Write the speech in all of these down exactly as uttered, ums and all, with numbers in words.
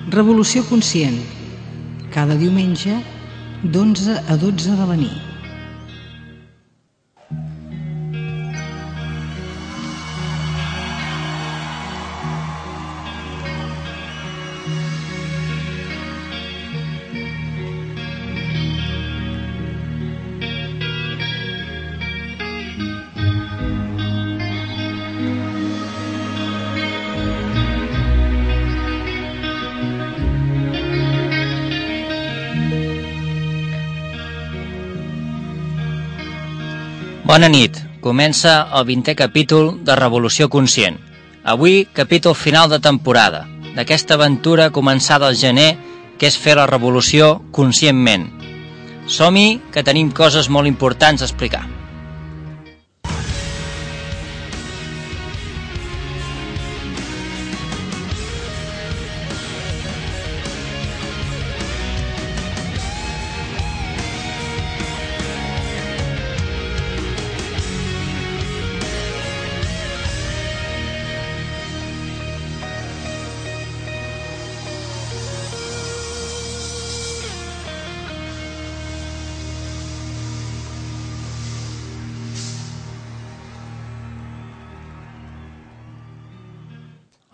Revolució Conscient, cada diumenge d'onze a dotze de la nit. Bona nit. Comença el vintè capítol de Revolució Conscient. Avui, capítol final de temporada, d'aquesta aventura començada al gener, que és fer la revolució conscientment. Som-hi, que tenim coses molt importants a explicar.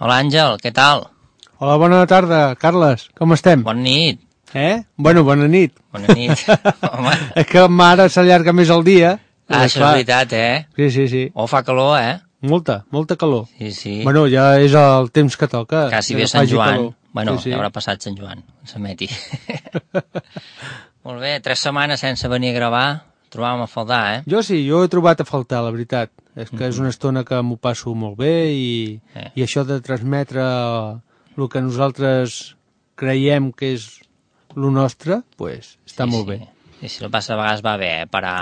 Hola Àngel, què tal? Hola, bona tarda, Carles, com estem? Bona nit. Eh? Bueno, bona nit. Bona nit. Home. És que ara s'allarga més el dia. Ah, això és veritat, eh? Sí, sí, sí. Oh, fa calor, eh? Molta, molta calor. Sí, sí. Bueno, ja és el temps que toca. Quasi bé Sant Joan. Calor. Bueno, sí, sí. Ja haurà passat Sant Joan, s'emeti. Molt bé, tres setmanes sense venir a gravar, trobàvem a faltar, eh? Jo sí, jo he trobat a faltar, la veritat. És que és una estona que m'ho passo molt bé i, eh. i això de transmetre el que nosaltres creiem que és el nostre, pues, està sí, molt sí. bé. Sí, sí, el que passa a vegades va bé, eh? Parar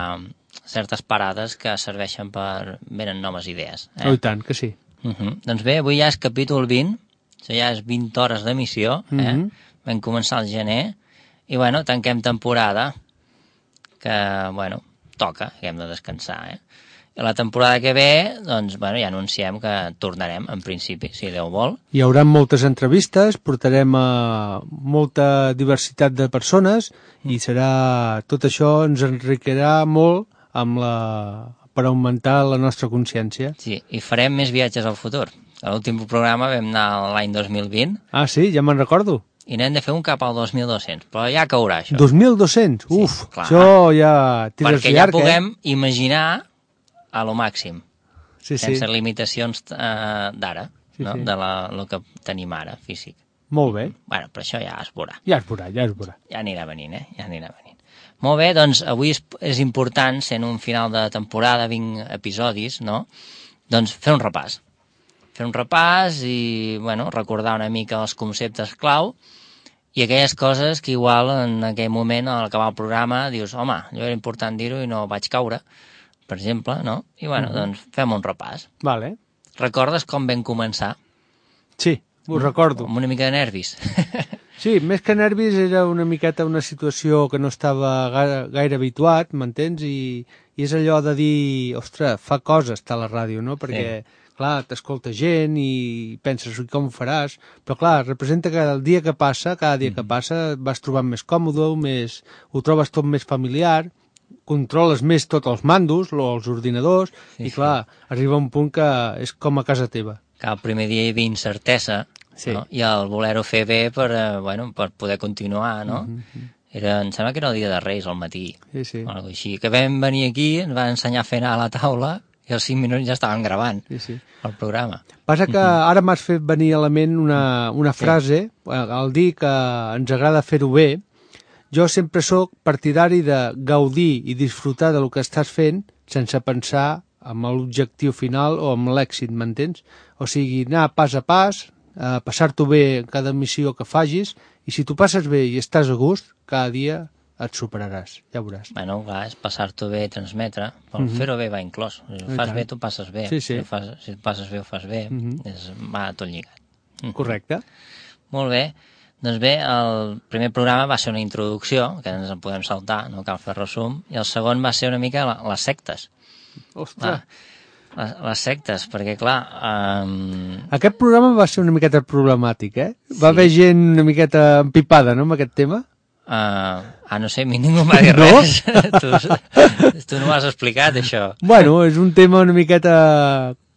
certes parades que serveixen per... venen noves idees. Eh? Oh, i tant, que sí. Uh -huh. Doncs bé, avui ja és capítol vint, això ja és vint hores d'emissió, eh? Uh -huh. Vam començar al gener, i bueno, tanquem temporada, que, bueno, toca, que hem de descansar, eh? I la temporada que ve, doncs, bueno, ja anunciem que tornarem, en principi, si Déu vol. Hi haurà moltes entrevistes, portarem a molta diversitat de persones i serà... tot això ens enriquirà molt amb la... per augmentar la nostra consciència. Sí, i farem més viatges al futur. A l'últim programa vam anar l'any dos mil vint. Ah, sí? Ja me'n recordo. I n'hem de fer un cap al dos mil dos-cents, però ja caurà, això. dos mil dos-cents? Uf, sí, clar. Això ja tires perquè llarg, ja puguem eh? imaginar a lo màxim, sí, sense sí. limitacions eh, d'ara, sí, no? sí. de la, lo que tenim ara, físic. Molt bé. Bueno, però això ja es veurà. Ja es veurà, ja es veurà. Ja anirà venint, eh? Ja anirà venint. Molt bé, doncs avui és, és important, sent un final de temporada, vint episodis, no? Doncs fer un repàs. Fer un repàs i, bueno, recordar una mica els conceptes clau i aquelles coses que igual en aquell moment, al acabar el programa, dius, home, allò era important dir-ho i no vaig caure, per exemple, no? I, bueno, uh-huh. doncs fem un repàs. Vale. Recordes com vam començar? Sí, ho recordo. Amb una mica de nervis. Sí, més que nervis era una miqueta una situació que no estava gaire, gaire habituat, m'entens? I, I és allò de dir, ostres, fa cosa estar a la ràdio, no? Perquè, sí. clar, t'escolta gent i penses com ho faràs, però clar, representa que el dia que passa, cada dia mm-hmm. que passa, vas trobant més còmode, més, ho trobes tot més familiar, controles més tots els mandos, els ordinadors, sí, i clar, sí. arriba un punt que és com a casa teva. Que el primer dia hi havia incertesa, sí. no? I el voler-ho fer bé per, eh, bueno, per poder continuar, no? Mm-hmm. Era, em sembla que era el dia de Reis, al matí, sí, sí. o alguna cosa així. Que vam venir aquí, ens va ensenyar a fer anar a la taula, i als cinc minuts ja estàvem gravant sí, sí. el programa. Passa que mm-hmm. ara m'has fet venir a la ment una, una frase, sí. al dir que ens agrada fer-ho bé. Jo sempre sóc partidari de gaudir i disfrutar del que estàs fent sense pensar en l'objectiu final o en l'èxit, m'entens? O sigui, anar pas a pas, eh, passar-t'ho bé en cada missió que facis, i si tu passes bé i estàs a gust, cada dia et superaràs, ja veuràs. Bueno, clar, és passar-t'ho bé i transmetre, però mm-hmm. fer-ho bé va inclòs. Si ho fas bé, tu passes bé. Sí, sí. Si, fas, si passes bé, ho fas bé. Mm-hmm. és, va tot lligat. Mm-hmm. Correcte. Molt bé. Doncs bé, el primer programa va ser una introducció, que ens en podem saltar, no cal fer resum, i el segon va ser una mica la, les sectes. Ostres! Les, les sectes, perquè clar... Um... Aquest programa va ser una miqueta problemàtic, eh? Va sí. haver gent una miqueta empipada, no?, amb aquest tema. Uh, ah, no sé, a mi ningú m'ha dit no? res. tu, tu no m'has explicat, això. Bueno, és un tema una miqueta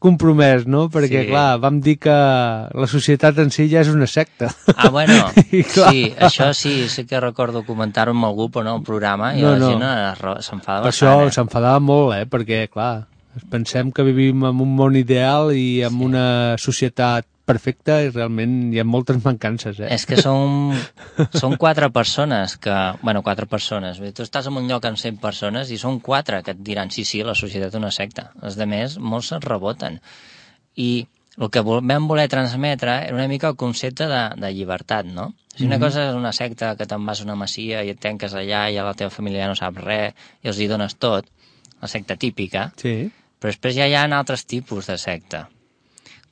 compromès, no? Perquè, sí. clar, vam dir que la societat en si ja és una secta. Ah, bueno, sí, això sí, sí que recordo comentar-ho amb algú, però no al programa, i no, la gent no. s'enfadava bastant. Per això eh? s'enfadava molt, eh? Perquè, clar, pensem que vivim en un món ideal i en sí. una societat perfecta i realment hi ha moltes mancances, eh? És que són, són quatre persones que... Bueno, quatre persones. Tu estàs en un lloc amb cent persones i són quatre que et diran sí, sí, la societat és una secta. Els altres, molts se'n reboten. I el que vam voler transmetre era una mica el concepte de, de llibertat, no? Si una mm-hmm. cosa és una secta que te'n vas a una masia i et tanques allà i a la teva família ja no sap res i els hi dones tot, la secta típica, sí. però després ja hi ha altres tipus de secta,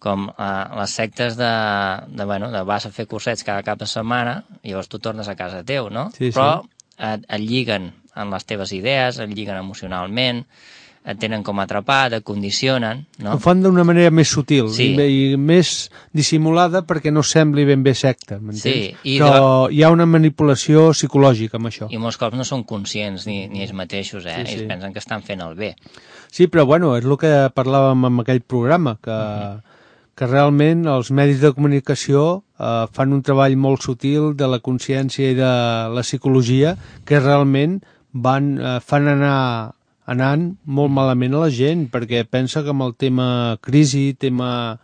com eh, les sectes de, de, bueno, de vas a fer cursets cada cap de setmana i llavors tu tornes a casa teu, no? Sí, però sí. et, et lliguen amb les teves idees, et lliguen emocionalment, et tenen com atrapat, et condicionen, no? Ho fan d'una manera més sutil sí. i, i més dissimulada perquè no sembli ben bé secta, m'entens? Sí, i però de... hi ha una manipulació psicològica amb això. I molts cops no són conscients ni, ni ells mateixos, eh? Sí, sí. Ells pensen que estan fent el bé. Sí, però bueno, és el que parlàvem en aquell programa, que... Mm-hmm. que realment els medis de comunicació eh, fan un treball molt sutil de la consciència i de la psicologia que realment van, eh, fan anar anant molt malament a la gent, perquè pensa que amb el tema crisi, tema,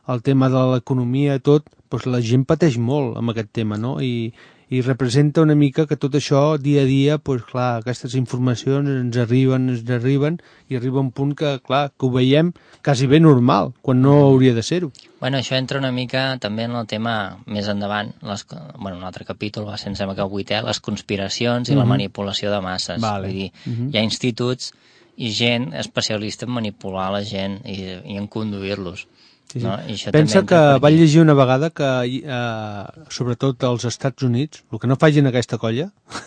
el tema de l'economia, tot, doncs la gent pateix molt amb aquest tema, no? I, i representa una mica que tot això, dia a dia, doncs clar, aquestes informacions ens arriben, ens arriben, i arriba un punt que, clar, que ho veiem quasi bé normal, quan no hauria de ser-ho. Bueno, això entra una mica també en el tema més endavant, les, bueno, un altre capítol va ser, em sembla que el vuitè, les conspiracions i mm-hmm. la manipulació de masses. Vale. Vull dir, mm-hmm. hi ha instituts i gent especialista en manipular la gent i, i en conduir-los. Sí, sí. No? I això pensa també que vaig llegir una vegada que, eh, sobretot als Estats Units, el que no facin aquesta colla...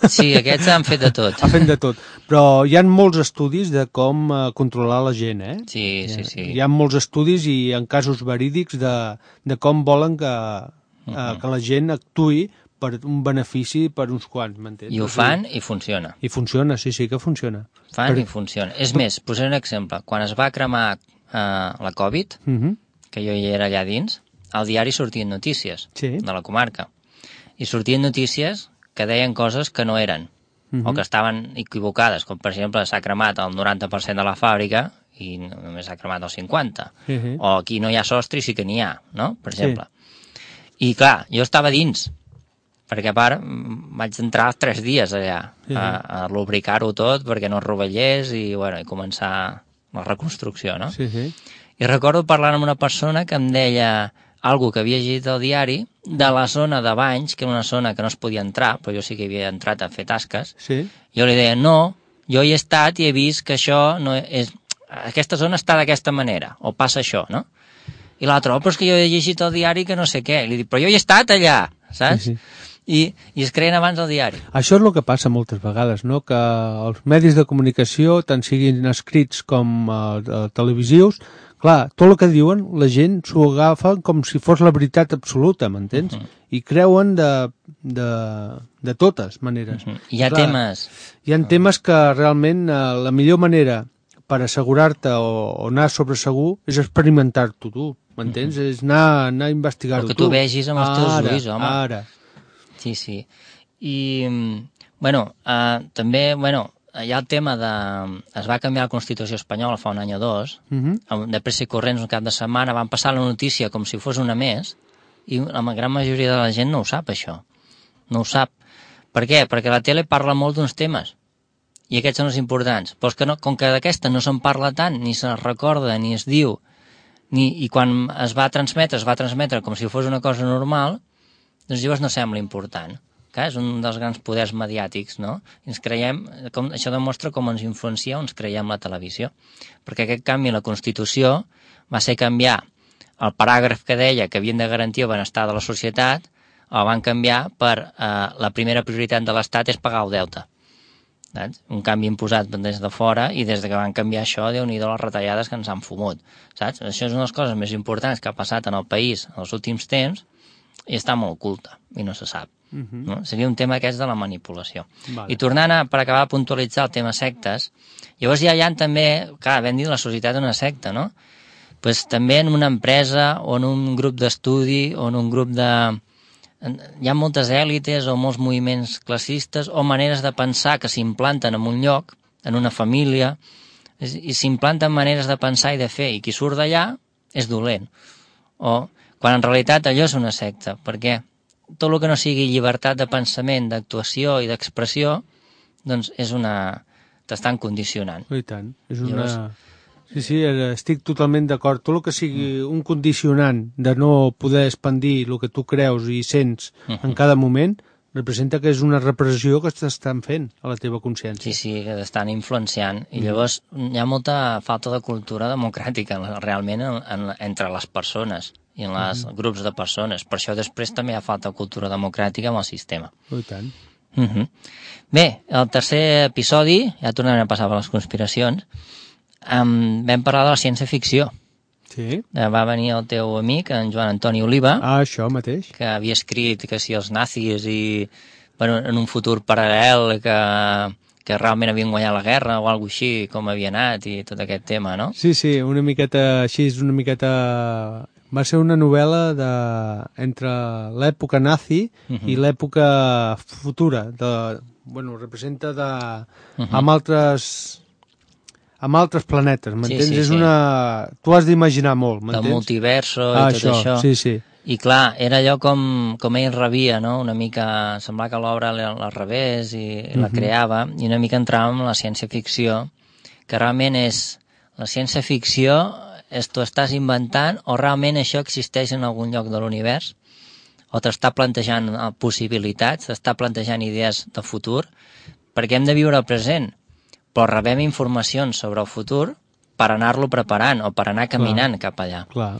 Sí, aquests han fet de tot. Han fet de tot, però hi ha molts estudis de com eh, controlar la gent, eh? Sí, sí, sí. Hi ha molts estudis i en casos verídics de, de com volen que, eh, uh-huh. que la gent actuï per un benefici per uns quants, m'entens? I ho fan i funciona. I funciona, sí, sí que funciona. Fan per... i funciona. És més, posaré un exemple. Quan es va cremar eh, la Covid... Uh-huh. que jo hi era allà dins, al diari sortien notícies sí. de la comarca. I sortien notícies que deien coses que no eren, uh-huh. o que estaven equivocades, com per exemple s'ha cremat el noranta per cent de la fàbrica i només s'ha cremat el cinquanta per cent. Uh-huh. O aquí no hi ha sostre i sí que n'hi ha, no? Per exemple. Sí. I clar, jo estava dins, perquè a part vaig entrar tres dies allà uh-huh. a, a lubricar-ho tot perquè no es rovellés i, bueno, i començar la reconstrucció, no? Sí, sí. I recordo parlant amb una persona que em deia algo que havia llegit al diari de la zona de Banys, que era una zona que no es podia entrar, però jo sí que havia entrat a fer tasques. Sí. Jo li deia, no, jo hi he estat i he vist que això no és... Aquesta zona està d'aquesta manera, o passa això, no? I l'altre, oh, però és que jo he llegit al diari que no sé què. I li dic, però jo hi he estat allà, saps? Sí, sí. I, i es creen abans el diari. Això és el que passa moltes vegades, no? Que els medis de comunicació, tant siguin escrits com eh, televisius, clar, tot el que diuen, la gent s'ho agafa com si fos la veritat absoluta, m'entens? Uh-huh. I creuen de, de, de totes maneres. Uh-huh. Hi ha clar, temes... Hi ha temes que realment eh, la millor manera per assegurar-te o, o anar sobre segur és experimentar-t'ho tu, m'entens? Uh-huh. És anar, anar a investigar-ho tu. O que tu vegis amb els teus ara, ulls, home. Ara, Sí, sí. I, bueno, eh, també, bueno, hi ha el tema de... Es va canviar la Constitució espanyola fa un any o dos, uh-huh. de pressa i corrents un cap de setmana, van passar la notícia com si fos una més, i la gran majoria de la gent no ho sap, això. No ho sap. Per què? Perquè la tele parla molt d'uns temes, i aquests són els importants. Però que no, com que d'aquesta no se'n parla tant, ni se recorda, ni es diu, ni, i quan es va transmetre, es va transmetre com si fos una cosa normal, doncs llavors no sembla important. Que és un dels grans poders mediàtics, no? I ens creiem, com, això demostra com ens influencia o ens creiem la televisió. Perquè aquest canvi a la Constitució va ser canviar el paràgraf que deia que havien de garantir el benestar de la societat, el van canviar per eh, la primera prioritat de l'Estat és pagar el deute. saps? Un canvi imposat des de fora i des de que van canviar això, Déu-n'hi-do les retallades que ens han fumut, saps? Això és una de les coses més importants que ha passat en el país en els últims temps i està molt oculta i no se sap. Uh -huh. No? Seria un tema aquest de la manipulació. Vale. I tornant a, per acabar a puntualitzar el tema sectes, llavors ja hi ha també, clar, vam dir la societat una secta, no? Pues també en una empresa o en un grup d'estudi o en un grup de... Hi ha moltes èlites o molts moviments classistes o maneres de pensar que s'implanten en un lloc, en una família, i s'implanten maneres de pensar i de fer, i qui surt d'allà és dolent. O quan en realitat allò és una secta, perquè tot el que no sigui llibertat de pensament, d'actuació i d'expressió, doncs és una... t'estan condicionant. I tant, és una... Llavors... Sí, sí, estic totalment d'acord. Tot el que sigui un condicionant de no poder expandir el que tu creus i sents uh -huh. en cada moment, representa que és una repressió que t'estan fent a la teva consciència. Sí, sí, que t'estan influenciant. I llavors hi ha molta falta de cultura democràtica realment en, en, entre les persones i en els uh -huh. grups de persones. Per això després també hi ha falta de cultura democràtica amb el sistema. I tant. Uh -huh. Bé, el tercer episodi, ja tornarem a passar per les conspiracions, Um, vam parlar de la ciència-ficció. Sí. Va venir el teu amic, en Joan Antoni Oliva, ah, això mateix, que havia escrit que si els nazis i bueno, en un futur paral·lel que, que realment havien guanyat la guerra o alguna així, com havia anat i tot aquest tema, no? Sí, sí, una miqueta així, una miqueta... Va ser una novel·la de... entre l'època nazi uh -huh. i l'època futura. De... Bueno, representa de... uh -huh. amb altres... amb altres planetes, m'entens? Sí, sí, és sí. una... Tu has d'imaginar molt, m'entens? El multiverso ah, i tot això. això. Sí, sí. I clar, era allò com, com ell rebia, no? Una mica... Semblava que l'obra la rebés i uh -huh. la creava, i una mica entràvem en la ciència-ficció, que realment és... La ciència-ficció és tu estàs inventant o realment això existeix en algun lloc de l'univers, o t'està plantejant possibilitats, t'està plantejant idees de futur, perquè hem de viure el present, però rebem informacions sobre el futur per anar-lo preparant o per anar caminant clar, cap allà. Clar.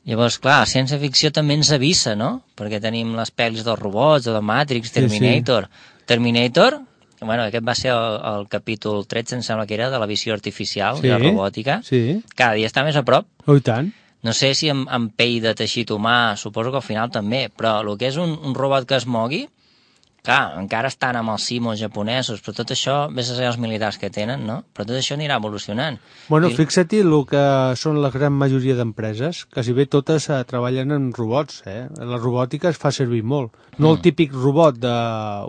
Llavors, clar, la ciència-ficció també ens avisa, no? Perquè tenim les pel·lis dels robots, o de Matrix, Terminator. Sí, sí. Terminator, bueno, aquest va ser el, el capítol tretze, em sembla que era, de la visió artificial sí, i la robòtica. Sí. Cada dia està més a prop. Oh, i tant. No sé si amb, amb pell de teixit humà, suposo que al final també, però el que és un, un robot que es mogui, clar, encara estan amb els simos japonesos, però tot això, vés a ser els militars que tenen, no? Però tot això anirà evolucionant. Bueno, I... fixa-t'hi el que són la gran majoria d'empreses, quasi bé totes eh, treballen en robots, eh? La robòtica es fa servir molt. No mm. el típic robot de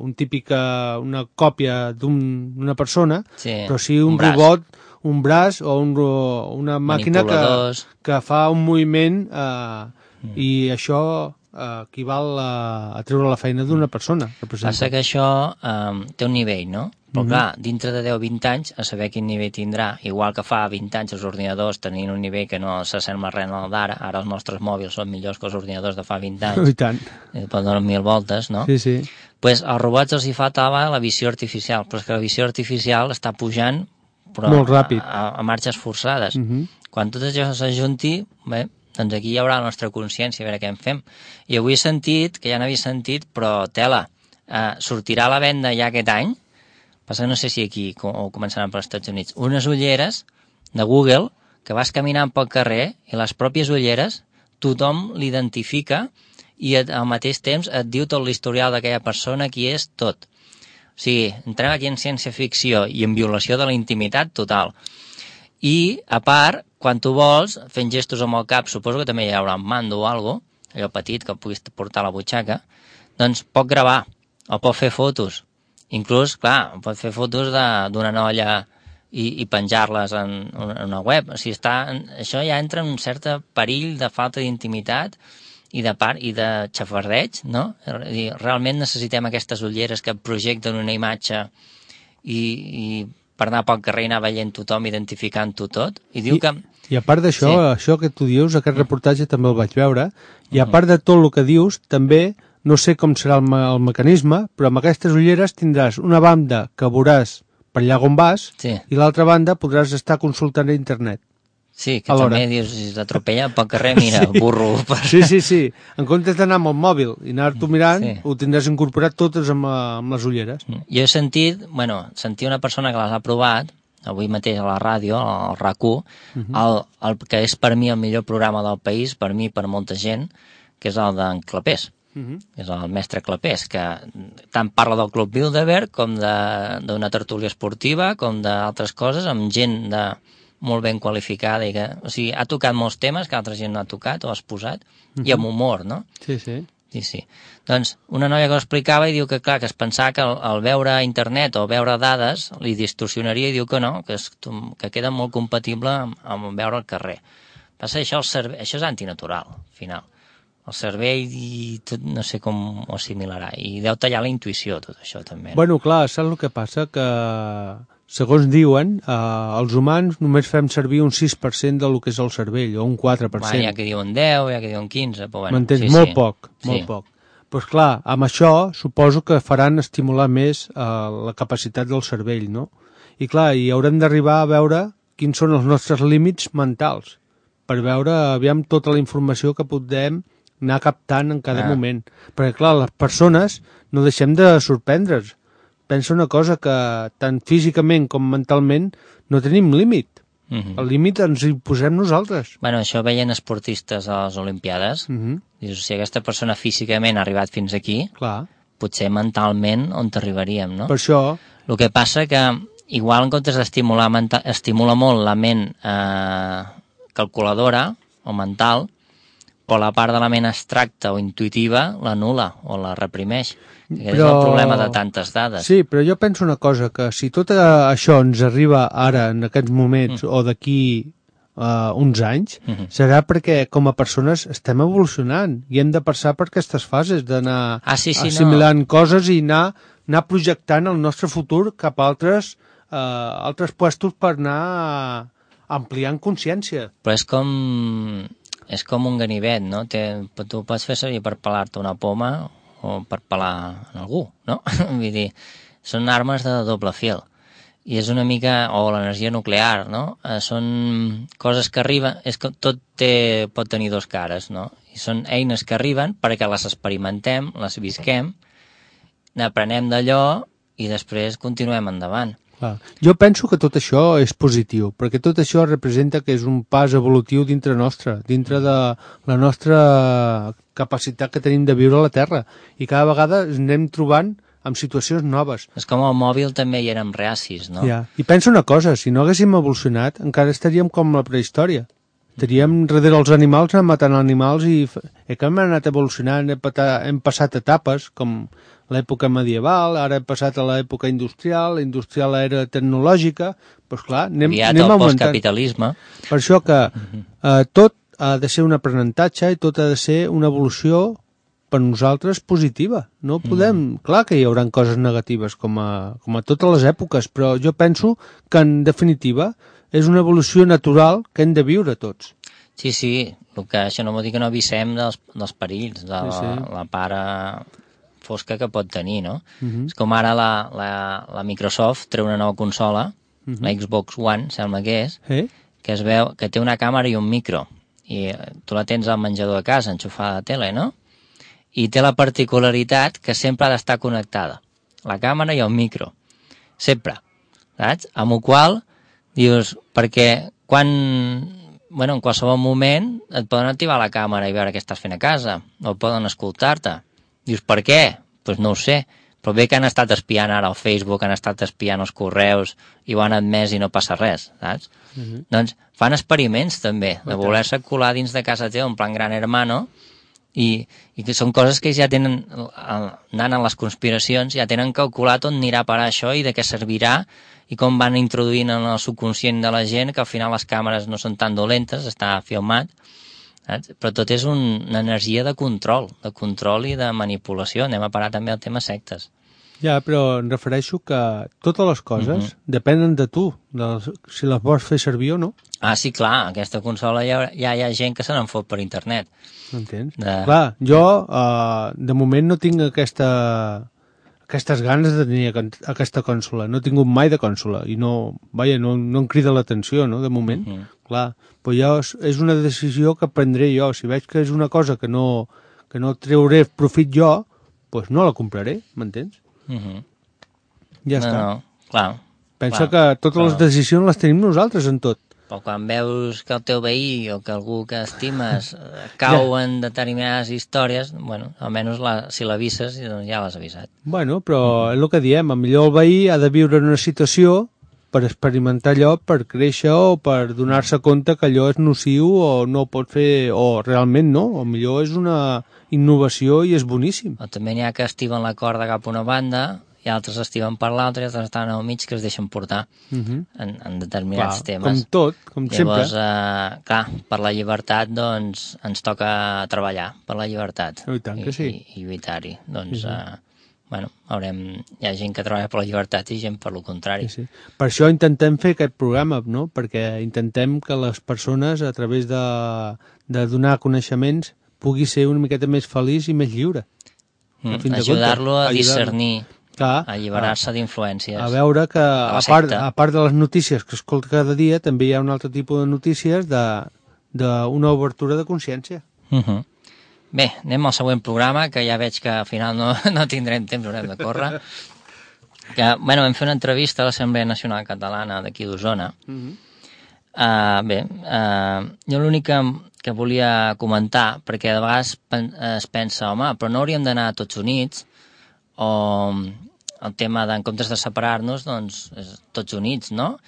un típic, una còpia d'una un, persona, sí, però sí un, un robot, un braç o un, una màquina que, que fa un moviment eh, mm. i això... Uh, equival a, a treure la feina d'una persona. Passa que això um, té un nivell, no? Però uh -huh. clar, dintre de deu o vint anys, a saber quin nivell tindrà, igual que fa vint anys els ordinadors tenien un nivell que no s'assembla res al d'ara, ara els nostres mòbils són millors que els ordinadors de fa vint anys. I tant. Eh, donen mil voltes, no? Sí, sí. Pues als robots els hi faltava la visió artificial, però és que la visió artificial està pujant però molt ràpid. A, a, a marxes forçades. Uh -huh. Quan tot això s'ajunti, bé, doncs aquí hi haurà la nostra consciència, a veure què en fem. I avui he sentit, que ja n'havia sentit, però tela, eh, sortirà a la venda ja aquest any, passa que no sé si aquí o començaran per als Estats Units, unes ulleres de Google que vas caminant pel carrer i les pròpies ulleres tothom l'identifica i al mateix temps et diu tot l'historial d'aquella persona, qui és, tot. O sigui, entrem aquí en ciència-ficció i en violació de la intimitat total. I, a part, quan tu vols, fent gestos amb el cap, suposo que també hi haurà un mando o alguna cosa, allò petit que puguis portar a la butxaca, doncs pot gravar o pot fer fotos. Inclús, clar, pot fer fotos d'una noia i, i penjar-les en, en una web. O sigui, està, això ja entra en un cert perill de falta d'intimitat i de part i de xafardeig, no? Realment necessitem aquestes ulleres que projecten una imatge i, i per anar pel carrer i anar veient tothom, identificant-ho tot. I diu I, que... I a part d'això, sí. això que tu dius, aquest reportatge també el vaig veure, i a part de tot el que dius, també, no sé com serà el, me el mecanisme, però amb aquestes ulleres tindràs una banda que veuràs per allà on vas, sí. i l'altra banda podràs estar consultant a internet. Sí, que també dius, si t'atropella pel carrer, mira, sí. burro. Per... Sí, sí, sí. En comptes d'anar amb el mòbil i anar-t'ho mirant, sí. ho tindràs incorporat totes amb, amb les ulleres. Jo he sentit, bueno, sentir una persona que les ha provat, avui mateix a la ràdio, al R A C u, uh -huh. el, el que és per mi el millor programa del país, per mi, per molta gent, que és el d'en Clapés. Uh -huh. És el mestre Clapés, que tant parla del Club Bilderberg com d'una tertúlia esportiva, com d'altres coses, amb gent de molt ben qualificada, i que, o sigui, ha tocat molts temes que altra gent no ha tocat o ha exposat, uh-huh. i amb humor, no? Sí, sí. Sí, sí. Doncs una noia que ho explicava i diu que, clar, que es pensava que al, al veure internet o veure dades li distorsionaria, i diu que no, que, és, que queda molt compatible amb, amb veure al carrer. Passa això, el cerve... això és antinatural, al final. El cervell i tot, no sé com ho assimilarà, i deu tallar la intuïció, tot això, també. No? Bueno, clar, saps el que passa? Que... Segons diuen, eh, els humans només fem servir un sis per cent del que és el cervell, o un quatre per cent. Bueno, hi ha que diuen deu, hi ha que diuen quinze, però bueno... M'entens? Sí, molt sí. poc, molt sí. poc. Doncs pues clar, amb això suposo que faran estimular més eh, la capacitat del cervell, no? I clar, i haurem d'arribar a veure quins són els nostres límits mentals, per veure, aviam, tota la informació que podem anar captant en cada ah. moment. Perquè clar, les persones no deixem de sorprendre's. Pensa una cosa, que tant físicament com mentalment no tenim límit. Uh-huh. El límit ens hi posem nosaltres. Bueno, això veien esportistes a les Olimpiades. Uh-huh. Dius, si aquesta persona físicament ha arribat fins aquí, clar. Potser mentalment on t'arribaríem, no? Per això... El que passa que, igual en comptes d'estimular estimula molt la ment eh, calculadora o mental, però la part de la ment abstracta o intuïtiva l'anul·la o la reprimeix. Però... és el problema de tantes dades. Sí, però jo penso una cosa, que si tot això ens arriba ara, en aquests moments, mm. o d'aquí uh, uns anys, mm-hmm. serà perquè com a persones estem evolucionant i hem de passar per aquestes fases d'anar ah, sí, sí, assimilant no. coses i anar, anar projectant el nostre futur cap a altres, uh, altres puestos per anar ampliant consciència. Però és com, és com un ganivet, no? Te, tu pots fer servir per pelar-te una poma o per pelar en algú, no? Vull dir, són armes de doble fil. I és una mica... o l'energia nuclear, no? Eh, són coses que arriben... és que tot té, pot tenir dos cares, no? I són eines que arriben perquè les experimentem, les visquem, n'aprenem d'allò i després continuem endavant. Clar. Jo penso que tot això és positiu, perquè tot això representa que és un pas evolutiu dintre nostre, dintre de la nostra capacitat que tenim de viure a la Terra, i cada vegada ens anem trobant amb situacions noves. És com el mòbil també hi érem reacis, no? Ja. I pensa una cosa, si no haguéssim evolucionat, encara estaríem com la prehistòria. Estaríem darrere els animals, anant matant animals, i eh, que hem anat evolucionant, hem, patat, hem passat etapes, com l'època medieval, ara hem passat a l'època industrial, la industrial era tecnològica, doncs clar, anem, aviat anem el augmentant. Postcapitalisme. Per això que eh, tot ha de ser un aprenentatge i tot ha de ser una evolució per nosaltres positiva. No podem... Mm. Clar que hi haurà coses negatives com a, com a totes les èpoques, però jo penso que en definitiva és una evolució natural que hem de viure tots. Sí, sí, el que això no vol dir que no avisem dels, dels perills, de sí, sí. La, la part fosca que pot tenir, no? Uh-huh. És com ara la, la, la Microsoft treu una nova consola, uh-huh. la Xbox One, sembla que és, eh? que es veu que té una càmera i un micro, i tu la tens al menjador de casa, enxufada a la tele, no? I té la particularitat que sempre ha d'estar connectada, la càmera i el micro, sempre, saps? Amb el qual dius, perquè quan... bueno, en qualsevol moment et poden activar la càmera i veure què estàs fent a casa, o poden escoltar-te. Dius, per què? Doncs pues no ho sé, però bé que han estat espiant ara al Facebook, han estat espiant els correus i ho han admès i no passa res, saps? Uh-huh. Doncs fan experiments també, de voler-se colar dins de casa teva en plan gran hermano, i, i que són coses que ja tenen, anant a les conspiracions, ja tenen calculat on anirà a parar això i de què servirà, i com van introduint en el subconscient de la gent que al final les càmeres no són tan dolentes, està filmat, saps? Però tot és un, una energia de control, de control i de manipulació. Anem a parar també al tema sectes. Ja, però em refereixo que totes les coses uh-huh. depenen de tu, de si les vols fer servir o no. Ah, sí, clar, aquesta consola ja, ja hi ha gent que se n'en fot per internet. Entens? De... Clar, jo uh, de moment no tinc aquesta... aquestes ganes de tenir aquesta consola. No he tingut mai de consola i no, vaja, no, no em crida l'atenció, no?, de moment. Uh -huh. Clar, però jo, és una decisió que prendré jo. Si veig que és una cosa que no, que no treuré profit jo, doncs no la compraré, m'entens? Uh -huh. Ja no, està. No, clar. Pensa clar, que totes però... les decisions les tenim nosaltres en tot. Però quan veus que el teu veí o que algú que estimes cau ja. en determinades històries, bueno, almenys la, si l'avises, doncs ja l'has avisat. Bueno, però mm. és el que diem, a millor el veí ha de viure en una situació per experimentar allò, per créixer o per donar-se compte que allò és nociu o no pot fer, o realment no, o millor és una innovació i és boníssim. O també n'hi ha que estiven la corda cap a una banda i altres estiven per l'altra i altres estan al mig que es deixen portar uh -huh. en, en determinats clar, temes. Com tot, com Llavors, sempre. Llavors, eh, clar, per la llibertat, doncs, ens toca treballar per la llibertat. I tant que sí. I, i lluitar-hi. Doncs, sí, sí. Eh, bueno, haurem... Hi ha gent que treballa per la llibertat i gent per lo contrari. Sí, sí. Per això intentem fer aquest programa, no?, perquè intentem que les persones, a través de, de donar coneixements, pugui ser una miqueta més feliç i més lliure. Mm, ajudar-lo a discernir, clar, a alliberar-se d'influències. A veure que, a part, a part de les notícies que escolta cada dia, també hi ha un altre tipus de notícies d'una obertura de consciència. Uh -huh. Bé, anem al següent programa, que ja veig que al final no, no tindrem temps, haurem de córrer. Que, bueno, vam fer una entrevista a l'Assemblea Nacional Catalana d'aquí d'Osona. Uh -huh. uh, bé, uh, jo l'únic que, que volia comentar, perquè de vegades es pensa, home, però no hauríem d'anar tots units, o el tema de, en comptes de separar-nos, doncs, tots units, no?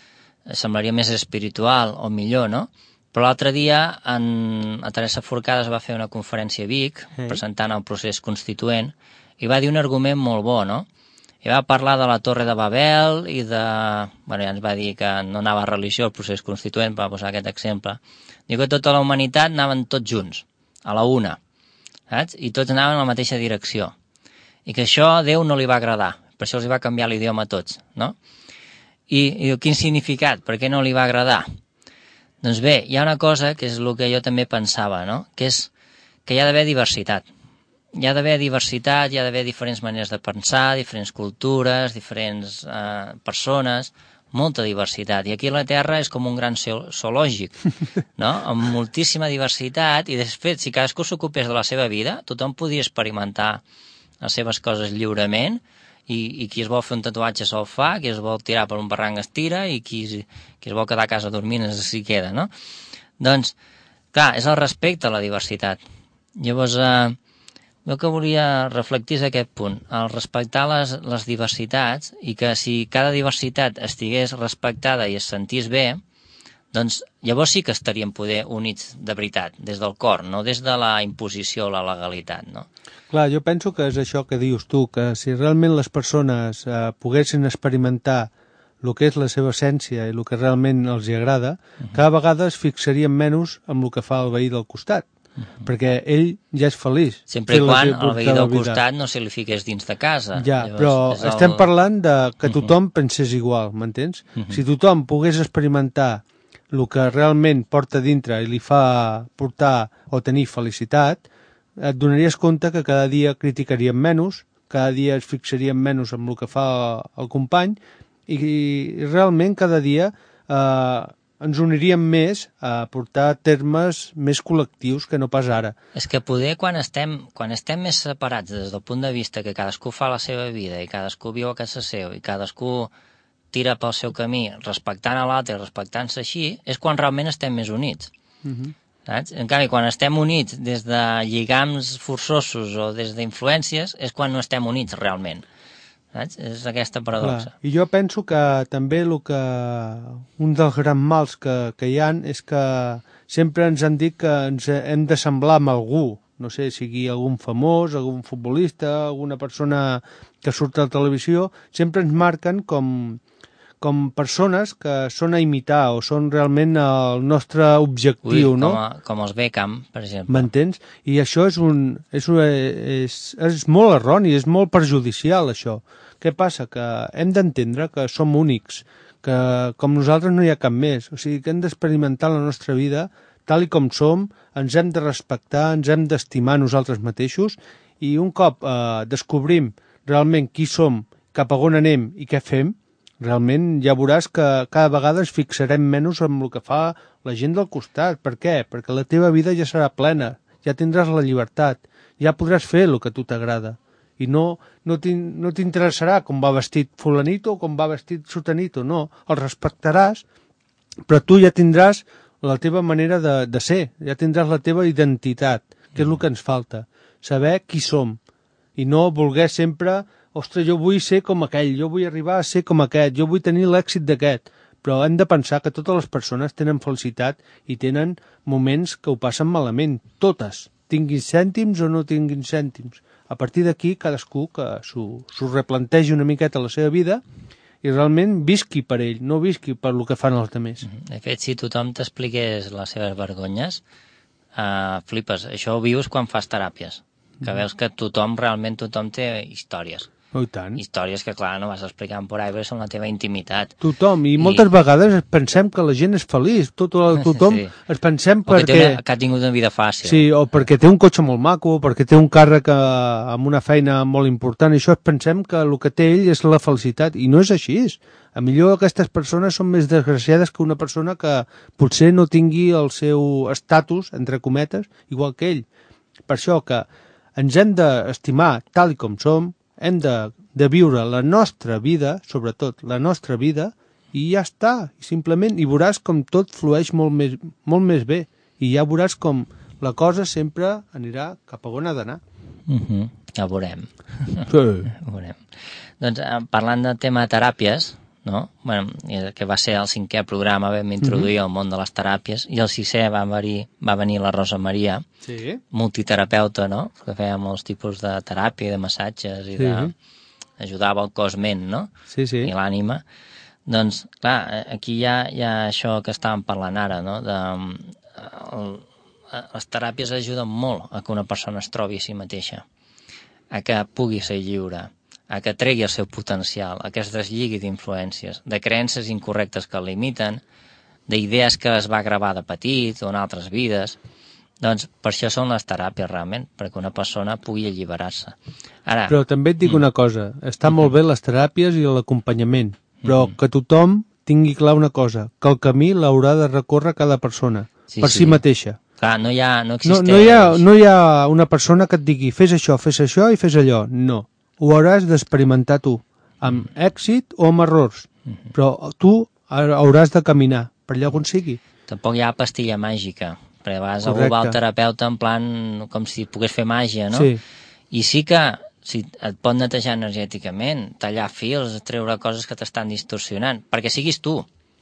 Semblaria més espiritual o millor, no? Però l'altre dia en, a Teresa Forcada es va fer una conferència a Vic, sí. presentant el procés constituent, i va dir un argument molt bo, no? I va parlar de la Torre de Babel i de... Bueno, ja ens va dir que no anava a religió el procés constituent, per posar aquest exemple. Diu que tota la humanitat anaven tots junts, a la una, saps? I tots anaven en la mateixa direcció. I que això a Déu no li va agradar, per això els va canviar l'idioma a tots, no? I, i diu, quin significat? Per què no li va agradar? Doncs bé, hi ha una cosa que és el que jo també pensava, no? Que és que hi ha d'haver diversitat. Hi ha d'haver diversitat, hi ha d'haver diferents maneres de pensar, diferents cultures, diferents eh, persones, molta diversitat. I aquí la Terra és com un gran zoològic, no? Amb moltíssima diversitat, i després, si cadascú s'ocupés de la seva vida, tothom podia experimentar les seves coses lliurement, i, i qui es vol fer un tatuatge se'l fa, qui es vol tirar per un barranc es tira, i qui, qui es vol quedar a casa dormint s'hi queda, no? Doncs, clar, és el respecte a la diversitat. Llavors, eh, jo que volia reflectir és aquest punt, el respectar les, les diversitats, i que si cada diversitat estigués respectada i es sentís bé, doncs llavors sí que estaríem poder units de veritat, des del cor, no des de la imposició o la legalitat, no? Clar, jo penso que és això que dius tu, que si realment les persones eh, poguessin experimentar el que és la seva essència i el que realment els hi agrada, uh-huh. cada vegada es fixarien menys amb el que fa el veí del costat, uh-huh. perquè ell ja és feliç. Sempre i quan el veí del costat no se li fiqués dins de casa. Ja, llavors, però el... estem parlant de que tothom uh-huh. pensés igual, m'entens? Uh-huh. Si tothom pogués experimentar el que realment porta dintre i li fa portar o tenir felicitat, et donaries compte que cada dia criticaríem menys, cada dia es fixaríem menys amb el que fa el company, i, i realment cada dia eh, ens uniríem més a portar termes més col·lectius que no pas ara. És que poder quan estem, quan estem més separats des del punt de vista que cadascú fa la seva vida i cadascú viu a casa seu i cadascú tira pel seu camí respectant a l'altre i respectant-se així, és quan realment estem més units. Uh-huh. Saps? En canvi, quan estem units des de lligams forçosos o des d'influències, és quan no estem units realment. Saps? És aquesta paradoxa. Clar. I jo penso que també el que un dels grans mals que, que hi ha és que sempre ens han dit que ens hem de semblar amb algú, no sé, sigui algun famós, algun futbolista, alguna persona que surt a la televisió, sempre ens marquen com... com persones que són a imitar o són realment el nostre objectiu, Ui, no? Com, a, com els Beckham, per exemple. M'entens? I això és, un, és, un, és, és molt erroni, és molt perjudicial, això. Què passa? Que hem d'entendre que som únics, que com nosaltres no hi ha cap més. O sigui, que hem d'experimentar la nostra vida tal i com som, ens hem de respectar, ens hem d'estimar nosaltres mateixos, i un cop eh, descobrim realment qui som, cap a on anem i què fem, realment ja veuràs que cada vegada es fixarem menys en el que fa la gent del costat. Per què? Perquè la teva vida ja serà plena, ja tindràs la llibertat, ja podràs fer el que a tu t'agrada. I no, no t'interessarà com va vestit fulanito o com va vestit sotanito, no. El respectaràs, però tu ja tindràs la teva manera de, de ser, ja tindràs la teva identitat, que és el que ens falta, saber qui som, i no voler sempre, ostres, jo vull ser com aquell, jo vull arribar a ser com aquest, jo vull tenir l'èxit d'aquest, però hem de pensar que totes les persones tenen felicitat i tenen moments que ho passen malament, totes, tinguin cèntims o no tinguin cèntims. A partir d'aquí, cadascú que s'ho replantegi una miqueta la seva vida i realment visqui per ell, no visqui per el que fan els altres. De fet, si tothom t'expliqués les seves vergonyes, uh, flipes. Això ho vius quan fas teràpies, que mm. veus que tothom, realment tothom té històries. Oh, i tant. Històries que, clar, no vas explicant por ahí, però són la teva intimitat. Tothom, i, I moltes vegades pensem que la gent és feliç, tot, tothom sí. es pensem o perquè... que, una, que ha tingut una vida fàcil. Sí, o perquè té un cotxe molt maco, o perquè té un càrrec amb una feina molt important, i això es pensem que el que té ell és la felicitat, i no és així. A millor aquestes persones són més desgraciades que una persona que potser no tingui el seu estatus, entre cometes, igual que ell. Per això que ens hem d'estimar tal com som, hem de, de viure la nostra vida, sobretot la nostra vida, i ja està, i simplement, i veuràs com tot flueix molt més, molt més bé, i ja veuràs com la cosa sempre anirà cap a on ha d'anar. Uh -huh. Ja ho veurem. Sí. Ho veurem. Doncs, parlant de tema teràpies, no? Bueno, que va ser el cinquè programa, vam introduir uh -huh. el món de les teràpies, i el sisè va venir, va venir la Rosa Maria, sí. multiterapeuta, no? Que feia molts tipus de teràpia, de massatges, i sí. de... ajudava el cos-ment, no? Sí, sí. I l'ànima. Doncs, clar, aquí hi ha, hi ha això que estàvem parlant ara, no? De, el, les teràpies ajuden molt a que una persona es trobi a si mateixa, a que pugui ser lliure, a que tregui el seu potencial, a que es deslligui d'influències, de creences incorrectes que el limiten, d'idees que es va gravar de petit o en altres vides. Doncs per això són les teràpies realment, perquè una persona pugui alliberar-se. Ara, però també et dic mm. una cosa, està mm-hmm. molt bé les teràpies i l'acompanyament, però mm-hmm. que tothom tingui clar una cosa, que el camí l'haurà de recórrer cada persona, sí, per sí. si mateixa. Clar, no hi ha, no existeix... No, no, hi ha, no hi ha una persona que et digui fes això, fes això i fes allò, no. Ho hauràs d'experimentar tu, amb mm. èxit o amb errors, mm-hmm. però tu hauràs de caminar per allà on sigui. Tampoc hi ha pastilla màgica, perquè a vegades algú va al terapeuta en plan com si pogués fer màgia, no? Sí. I sí que si et pot netejar energèticament, tallar fils, treure coses que t'estan distorsionant, perquè siguis tu.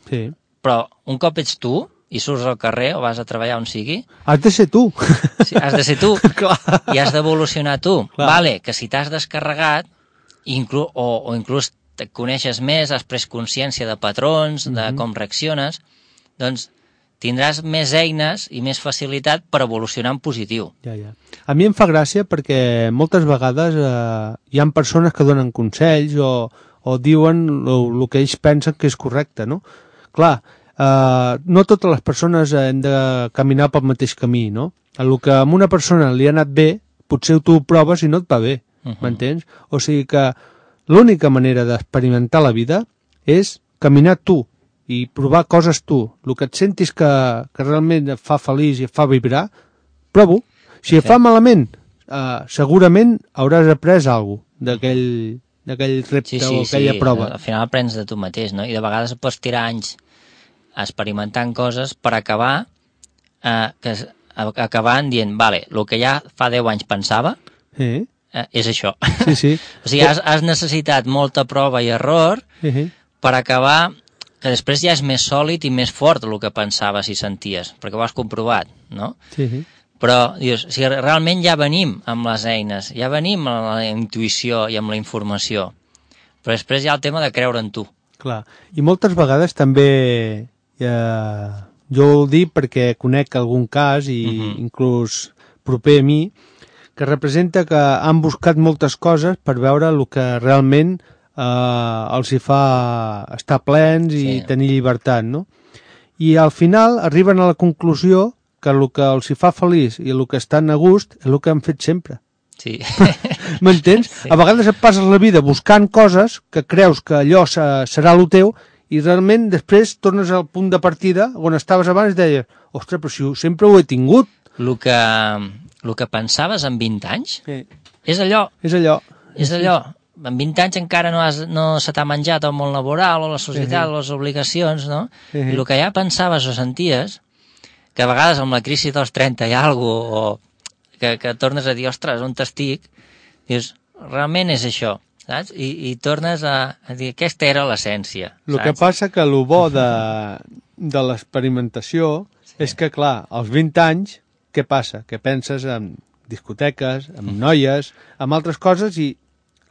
Sí. Però un cop ets tu i surts al carrer o vas a treballar on sigui... Has de ser tu. Sí, has de ser tu. I has d'evolucionar tu. Clar. Vale, que si t'has descarregat inclús, o, o inclús te coneixes més, has pres consciència de patrons, de mm-hmm. com reacciones, doncs tindràs més eines i més facilitat per evolucionar en positiu. Ja, ja. A mi em fa gràcia perquè moltes vegades eh, hi ha persones que donen consells o, o diuen el que ells pensen que és correcte, no? Clar, eh, no totes les persones hem de caminar pel mateix camí, no? El que a una persona li ha anat bé, potser tu ho proves i no et va bé, uh-huh. m'entens? O sigui que l'única manera d'experimentar la vida és caminar tu, i provar coses tu. El que et sentis que, que realment et fa feliç i et fa vibrar, prova-ho. Si et fa malament, eh, segurament hauràs après alguna cosa d'aquell d'aquell repte sí, sí, o aquella sí. prova. Al final aprens de tu mateix, no? I de vegades pots tirar anys experimentant coses per acabar eh, que, acabant dient, vale, el que ja fa deu anys pensava sí. eh, és això. Sí, sí. O sigui, has, has necessitat molta prova i error sí. per acabar que després ja és més sòlid i més fort el que pensaves i senties, perquè ho has comprovat, no? Sí, sí. Però, dius, si realment ja venim amb les eines, ja venim amb la intuïció i amb la informació, però després hi ha el tema de creure en tu. Clar, i moltes vegades també, eh, jo ho dic perquè conec algun cas, i uh-huh. inclús proper a mi, que representa que han buscat moltes coses per veure el que realment Uh, els hi fa estar plens i sí. tenir llibertat, no? I al final arriben a la conclusió que el que els hi fa feliç i el que estan a gust és el que han fet sempre. Sí. M'entens? Sí. A vegades et passes la vida buscant coses que creus que allò serà el teu i realment després tornes al punt de partida on estaves abans i deies, ostres, però si sempre ho he tingut. El que, el que pensaves en vint anys sí. és allò. És allò. És allò. En vint anys encara no, has, no se t'ha menjat el món laboral o la societat sí. o les obligacions, no? Sí. I el que ja pensaves o senties, que a vegades amb la crisi dels trenta hi ha alguna cosa, o que, que tornes a dir, ostres, on t'estic? Dius, realment és això. Saps? I, i tornes a, a dir, aquesta era l'essència. El que passa que el bo de, de l'experimentació sí. és que, clar, als vint anys, què passa? Que penses en discoteques, en noies, en altres coses i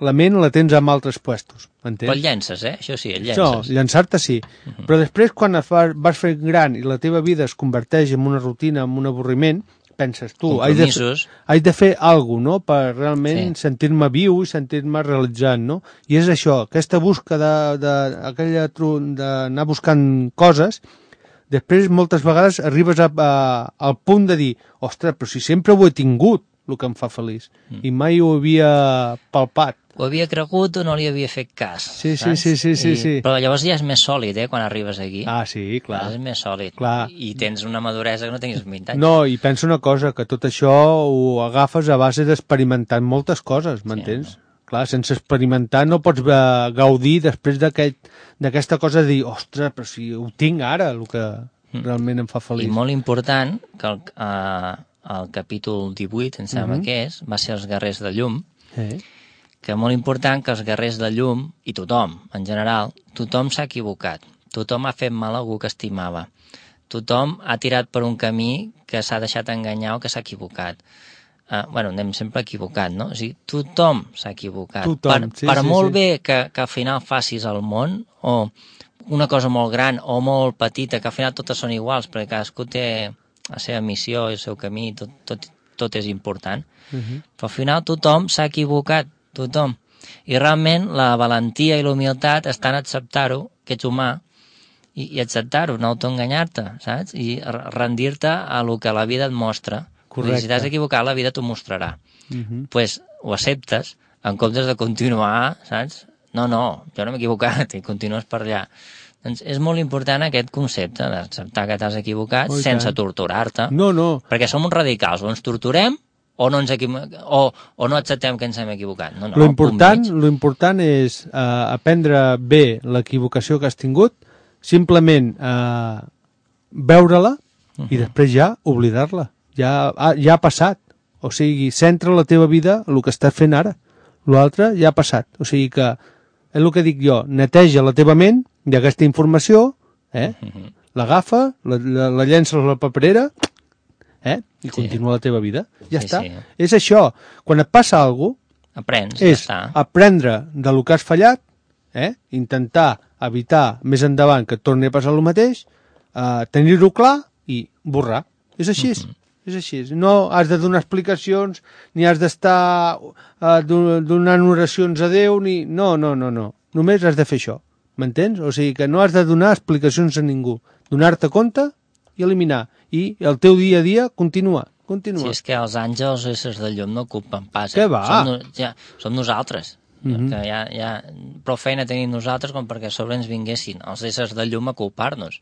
la ment la tens en altres puestos, m'entens? Però el llences, eh? Això sí, el llences. No, llançar-te sí. Uh-huh. Però després, quan vas, vas fent gran i la teva vida es converteix en una rutina, en un avorriment, penses tu, haig de, haig de fer alguna cosa, no?, per realment sí. sentir-me viu i sentir-me realitzant, no? I és això, aquesta busca de, de, aquella d'anar buscant coses, després moltes vegades arribes a, a, al punt de dir, ostres, però si sempre ho he tingut, el que em fa feliç, mm. i mai ho havia palpat. Ho havia cregut o no li havia fet cas. Sí, sí, sí, sí, sí, I, sí. Però llavors ja és més sòlid, eh, quan arribes aquí. Ah, sí, clar. Ja és més sòlid. Clar. I tens una maduresa que no tenies vint anys. No, i pensa una cosa, que tot això ho agafes a base d'experimentar moltes coses, m'entens? Sí, no? Clar, sense experimentar no pots gaudir després d'aquesta aquest, cosa de dir, ostres, però si ho tinc ara, el que mm. realment em fa feliç. I molt important, que el, uh, el capítol divuit, em sembla mm-hmm. que és, va ser els guerrers de llum, eh? que molt important que els guerrers de llum, i tothom, en general, tothom s'ha equivocat. Tothom ha fet mal a algú que estimava. Tothom ha tirat per un camí que s'ha deixat enganyar o que s'ha equivocat. Uh, bueno, anem sempre equivocat, no? O sigui, tothom s'ha equivocat. Tothom, per sí, per sí, molt sí. bé que, que al final facis el món, o una cosa molt gran o molt petita, que al final totes són iguals, perquè cadascú té la seva missió i el seu camí, tot, tot, tot és important. Uh-huh. Però al final tothom s'ha equivocat, tothom. I realment la valentia i la humilitat estan a acceptar-ho, que ets humà, i, i acceptar-ho, no autoenganyar-te, saps? I rendir-te a lo que la vida et mostra. Correcte. Si t'has equivocat, la vida t'ho mostrarà. Uh-huh. Doncs pues, ho acceptes, en comptes de continuar, saps? No, no, jo no m'he equivocat, i continues per allà. Doncs és molt important aquest concepte d'acceptar que t'has equivocat oh, sense tant. torturar-te. No, no. Perquè som uns radicals, o ens torturem o no, ens equivo... o, o no acceptem que ens hem equivocat. No, no, lo, important, lo important és uh, aprendre bé l'equivocació que has tingut, simplement uh, veure-la uh-huh. i després ja oblidar-la. Ja, ja ha passat. O sigui, centra la teva vida en el que estàs fent ara. L'altre ja ha passat. O sigui que, és el que dic jo, neteja la teva ment d'aquesta informació, eh? uh-huh. l'agafa, la, la, la llences a la paperera, eh? i sí. continua la teva vida. Ja sí, està. Sí. És això. Quan et passa alguna cosa, aprens, és ja està. Aprendre de lo que has fallat, eh? intentar evitar més endavant que et torni a passar el mateix, eh, tenir-ho clar i borrar. És així. Uh-huh. És així. No has de donar explicacions, ni has d'estar uh, donant oracions a Déu, ni... No, no, no, no. Només has de fer això. M'entens? O sigui que no has de donar explicacions a ningú. Donar-te compte i eliminar. I el teu dia a dia continua. continua. Si és que els àngels, éssers de llum, no ocupen pas. Què va? Som, no, ja, som nosaltres. Mm-hmm. Que ja, ja, prou feina tenim nosaltres com perquè a sobre ens vinguessin els éssers de llum a culpar-nos.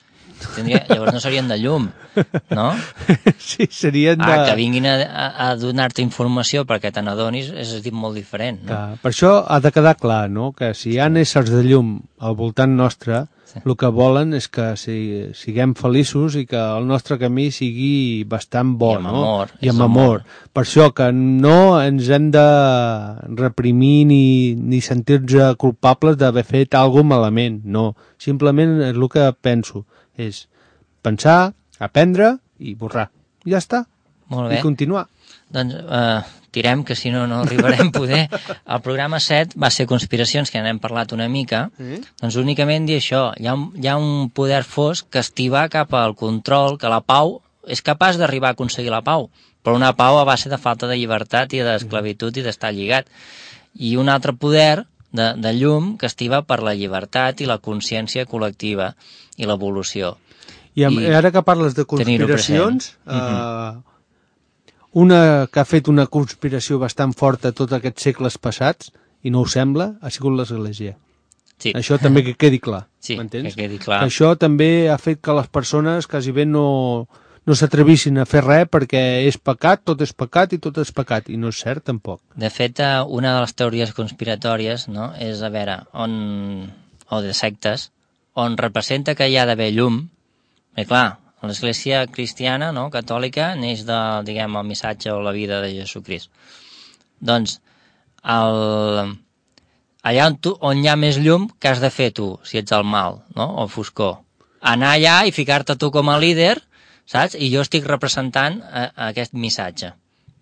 Tindria, llavors no serien de llum, no? Sí, serien de... Ah, que vinguin a, a, a donar-te informació perquè te n'adonis és dit molt diferent, no? Clar, per això ha de quedar clar, no?, que si hi ha éssers de llum al voltant nostre, sí. el que volen és que si, siguem feliços i que el nostre camí sigui bastant bo, I amb no? amor. I amb amor. amor. Per això que no ens hem de reprimir ni, ni sentir-nos culpables d'haver fet alguna malament, no. Simplement és el que penso. És pensar, aprendre i borrar. Ja està. Molt bé. I continuar. Doncs eh, tirem, que si no, no arribarem a poder. El programa set va ser Conspiracions, que n'hem parlat una mica. Mm. Doncs únicament dir això. Hi ha, un, hi ha un poder fosc que estivar cap al control, que la pau és capaç d'arribar a aconseguir la pau, però una pau a base de falta de llibertat i d'esclavitud i d'estar lligat. I un altre poder de, de llum que estiva per la llibertat i la consciència col·lectiva i l'evolució. I, I ara que parles de conspiracions, uh-huh. uh, una que ha fet una conspiració bastant forta tots aquests segles passats, i no ho sembla, ha sigut l'Església. Sí. Això també que quedi clar, Sí, m'entens? que quedi clar. Que això també ha fet que les persones quasi bé no, no s'atrevissin a fer res perquè és pecat, tot és pecat i tot és pecat, i no és cert tampoc. De fet, eh, una de les teories conspiratòries, no?, és, a veure, on, o de sectes, on representa que hi ha d'haver llum, i clar, l'Església cristiana, no?, catòlica, neix de, diguem, el missatge o la vida de Jesucrist. Doncs, el... allà on, tu, on hi ha més llum, què has de fer tu, si ets el mal, no?, o foscor? Anar allà i ficar-te tu com a líder, saps? I jo estic representant a, a aquest missatge.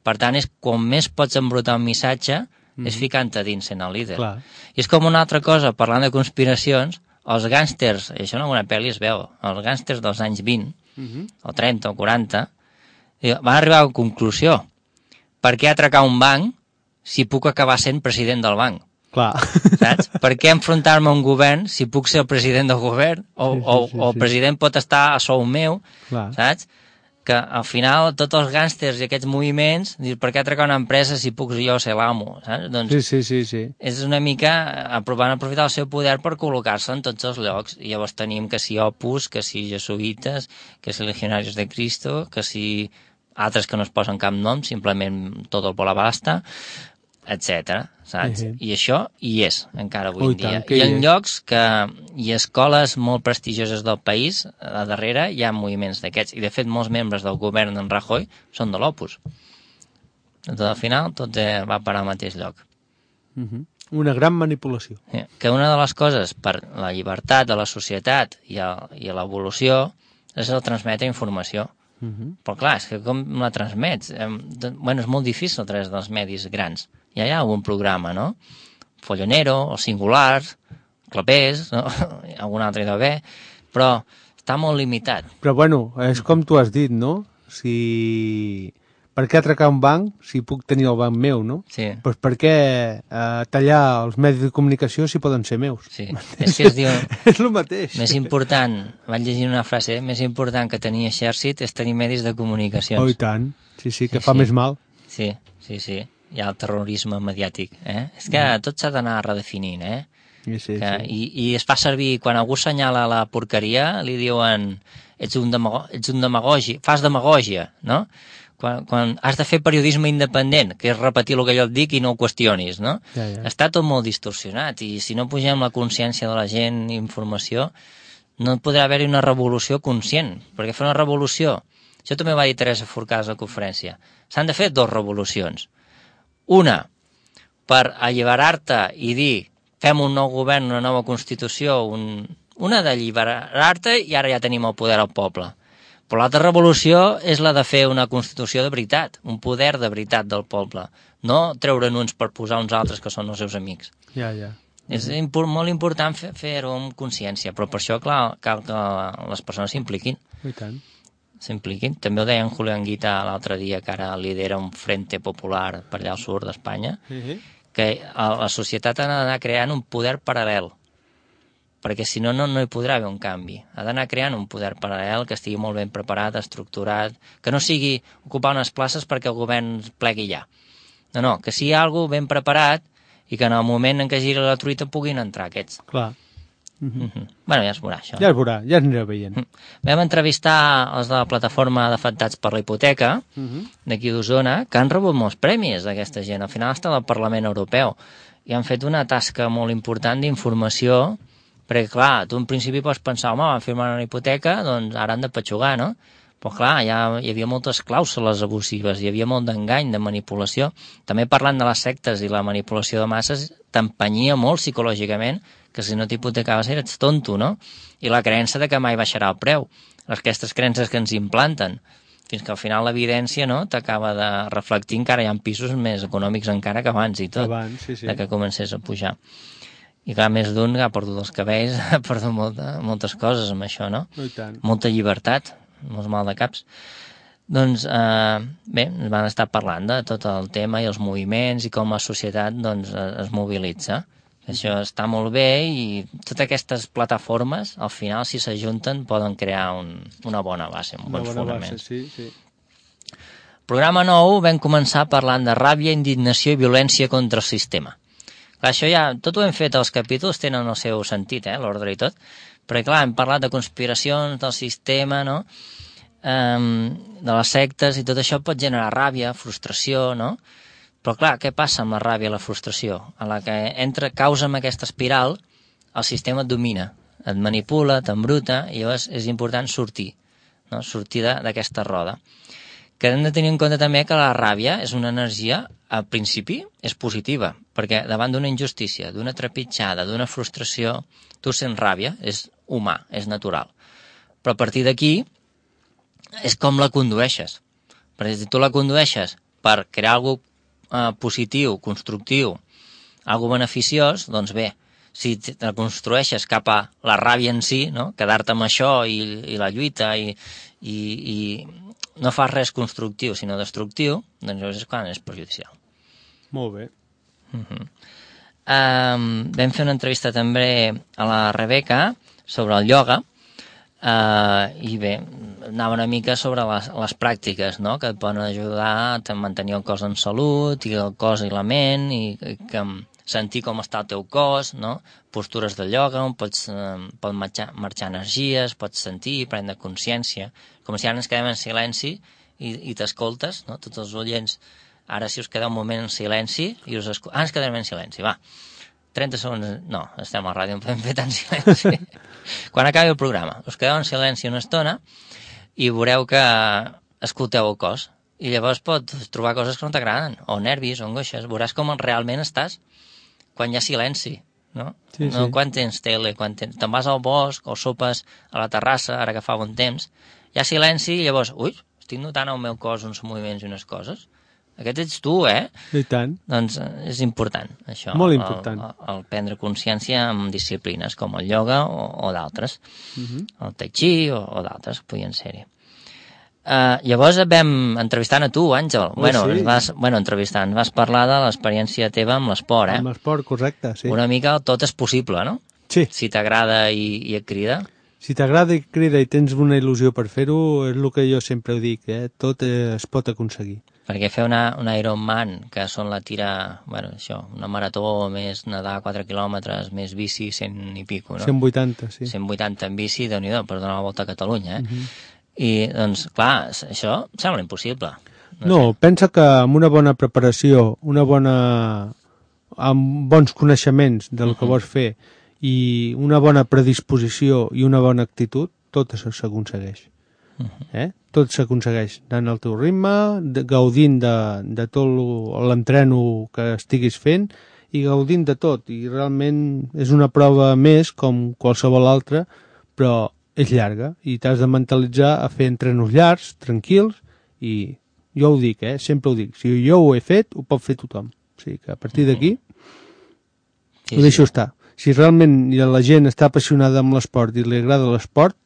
Per tant, és com més pots embrutar un missatge, mm. és ficant-te dins sent el líder. Clar. I és com una altra cosa, parlant de conspiracions, els gàngsters, i això en alguna pel·li es veu, els gàngsters dels anys vint, mm-hmm. o trenta o quaranta, van arribar a la conclusió: per què atracar un banc si puc acabar sent president del banc? Clar. Saps? Per què enfrontar-me a un govern si puc ser el president del govern? O, sí, sí, o, sí, o el sí. president pot estar a sou meu, Clar. saps? Que al final tots els gàngsters i aquests moviments, dir, per què atracar una empresa si puc jo ser l'amo? Saps? Doncs Sí, sí, sí, sí. és una mica aprovant aprofitar el seu poder per col·locar-se en tots els llocs. I llavors tenim que si Opus, que si jesuïtes, que si legionarios de Cristo, que si altres que no es posen cap nom, simplement tot el bolabasta, etcètera, saps? Uh-huh. I això hi és, encara avui Ui, en dia. tant que I hi en és. llocs que hi ha escoles molt prestigioses del país, a darrere hi ha moviments d'aquests. I, de fet, molts membres del govern d'en Rajoy són de l'Opus. Doncs, al final, tot eh, va parar al mateix lloc. Uh-huh. Una gran manipulació. Sí. Que una de les coses per la llibertat de la societat i, a, i a l'evolució és el transmetre informació. Uh-huh. Però clar, és que com la transmets? Eh, bueno, és molt difícil a través dels medis grans. Ja hi ha algun programa, no? Follonero, o Singulars, Clapés, no? Algun altre hi deu haver, però està molt limitat. Però bueno, és com tu has dit, no? Si... Per què atracar un banc si puc tenir el banc meu, no? Sí. Pues per què eh, tallar els medis de comunicació si poden ser meus? Sí, és que es diu... És el mateix. Més important, vaig llegir una frase, eh? Més important que tenir exèrcit és tenir medis de comunicacions. Oh, i tant. Sí, sí, que Sí, fa sí. més mal. Sí, sí, sí. Hi ha el terrorisme mediàtic, eh? És que tot s'ha d'anar redefinint, eh? Sí, sí, Que, sí. i, I es fa servir, quan algú assenyala la porqueria, li diuen ets un, demago ets un demagogi, fas demagògia, no? Quan, quan has de fer periodisme independent, que és repetir el que jo et dic i no ho qüestionis, no? Ja, ja. Està tot molt distorsionat, i si no pugem la consciència de la gent i informació, no podrà haver-hi una revolució conscient, perquè fer una revolució, això també va dir Teresa Forcada a la conferència, s'han de fer dues revolucions. Una, per alliberar-te i dir fem un nou govern, una nova Constitució, un... una d'alliberar-te i ara ja tenim el poder al poble. Però l'altra revolució és la de fer una Constitució de veritat, un poder de veritat del poble, no treure'n uns per posar uns altres que són els seus amics. Ja, ja. És impor molt important fer- fer-ho amb consciència, però per això, clar, cal que les persones s'impliquin. I tant. s'impliquin. També ho deia en Julián Guita l'altre dia, que ara lidera un frente popular per allà al sud d'Espanya, Uh-huh. que a la societat ha d'anar creant un poder paral·lel, perquè si no, no, no hi podrà haver un canvi. Ha d'anar creant un poder paral·lel que estigui molt ben preparat, estructurat, que no sigui ocupar unes places perquè el govern plegui ja. No, no, que sigui alguna ben preparat i que en el moment en què giri la truita puguin entrar aquests. Clar. Mm -hmm. Bueno, ja es veurà, això. Ja es veurà, ja es anirà veient. Vam entrevistar els de la plataforma d'afectats per la hipoteca, Uh-huh. d'aquí d'Osona, que han rebut molts premis d'aquesta gent. Al final està al Parlament Europeu i han fet una tasca molt important d'informació, perquè clar, tu en principi pots pensar, home, van firmar una hipoteca, doncs ara han de petxugar, no? Però clar, ja hi havia moltes clàusules abusives, hi havia molt d'engany, de manipulació. També parlant de les sectes i la manipulació de masses, t'empenyia molt psicològicament que si no t'hipotecaves eres tonto, no? I la creença de que mai baixarà el preu. Aquestes creences que ens implanten, fins que al final l'evidència, no?, t'acaba de reflectir, encara hi ha pisos més econòmics encara que abans i tot, Abans, sí, sí. de que comencés a pujar. I clar, més d'un que ha perdut els cabells, ha perdut molta, moltes coses amb això, no? No, i tant. Molta llibertat, molts mal de caps. Doncs, eh, bé, ens van estar parlant de tot el tema i els moviments i com la societat, doncs, es mobilitza. Això està molt bé i totes aquestes plataformes, al final, si s'ajunten, poden crear un, una bona base, uns Una bons bona fonaments. base, sí, sí. Programa nou vam començar parlant de ràbia, indignació i violència contra el sistema. Clar, això ja, tot ho hem fet, els capítols tenen el seu sentit, eh, l'ordre i tot, perquè clar, hem parlat de conspiracions, del sistema, no?, um, de les sectes, i tot això pot generar ràbia, frustració, no?, però clar, què passa amb la ràbia i la frustració? A la que entra, causa amb aquesta espiral, el sistema et domina, et manipula, t'embruta, i llavors és important sortir, no?, sortir d'aquesta roda. Que hem de tenir en compte també que la ràbia és una energia, al principi, és positiva, perquè davant d'una injustícia, d'una trepitjada, d'una frustració, tu sents ràbia, és humà, és natural. Però a partir d'aquí, és com la condueixes. Perquè si tu la condueixes per crear alguna cosa eh, positiu, constructiu, alguna beneficiós, doncs bé, si la construeixes cap a la ràbia en si, no?, quedar-te amb això i, i la lluita i, i, i no fas res constructiu sinó destructiu, doncs llavors és quan és perjudicial. Molt bé. Uh-huh. um, vam fer una entrevista també a la Rebeca sobre el ioga, uh, i bé, anava una mica sobre les, les pràctiques, no?, que et poden ajudar a mantenir el cos en salut, i el cos i la ment, i, i que sentir com està el teu cos, no?, postures de ioga, on pots, eh, pot marxar, marxar energies, pots sentir, prendre consciència, com si ara ens quedem en silenci i, i t'escoltes, no?, tots els oients, ara si us quedeu un moment en silenci, i us escoltes, ah, ens quedarem en silenci, va, trenta segons, no, estem a la ràdio, no podem fer tant silenci. Quan acabi el programa, us quedeu en silenci una estona i veureu que escolteu el cos, i llavors pots trobar coses que no t'agraden, o nervis, o angoixes, veuràs com realment estàs quan hi ha silenci, no? Sí, no sí. Quan tens tele, quan tens... te'n vas al bosc o sopes a la terrassa, ara que fa bon temps, hi ha silenci i llavors, ui, estic notant al meu cos uns moviments i unes coses. Aquest ets tu, eh? I tant. Doncs és important, això. Molt important. El, el, el prendre consciència amb disciplines com el ioga o, o d'altres. Uh -huh. El tai chi o, o d'altres, podien ser-hi. Uh, llavors et vam entrevistant a tu, Àngel. Oh, bueno, sí. ens vas, bueno, entrevistant, vas parlar de l'experiència teva amb l'esport, eh? Amb l'esport, correcte, sí. Una mica tot és possible, no? Sí. Si t'agrada i, i et crida. Si t'agrada i crida i tens una il·lusió per fer-ho, és el que jo sempre dic, eh? Tot eh, es pot aconseguir. Perquè fer una, una Ironman, que són la tira, bueno, això, una marató, més nedar quatre quilòmetres, més bici, cent i pico, no? cent vuitanta, sí. cent vuitanta en bici, Déu-n'hi-do, per donar la volta a Catalunya, eh? Uh -huh. I, doncs, clar, això sembla impossible. No, no sé. Pensa que amb una bona preparació, una bona... amb bons coneixements del que uh -huh. vols fer i una bona predisposició i una bona actitud, tot això s'aconsegueix. Uh -huh. eh? Tot s'aconsegueix anant al teu ritme, de, gaudint de, de tot l'entreno que estiguis fent i gaudint de tot. I realment és una prova més com qualsevol altra, però és llarga i t'has de mentalitzar a fer entrenos llargs, tranquils, i jo ho dic, eh? Sempre ho dic, si jo ho he fet, ho pot fer tothom. O sigui que a partir d'aquí sí, ho deixo sí. estar. Si realment la gent està apassionada amb l'esport i li agrada l'esport,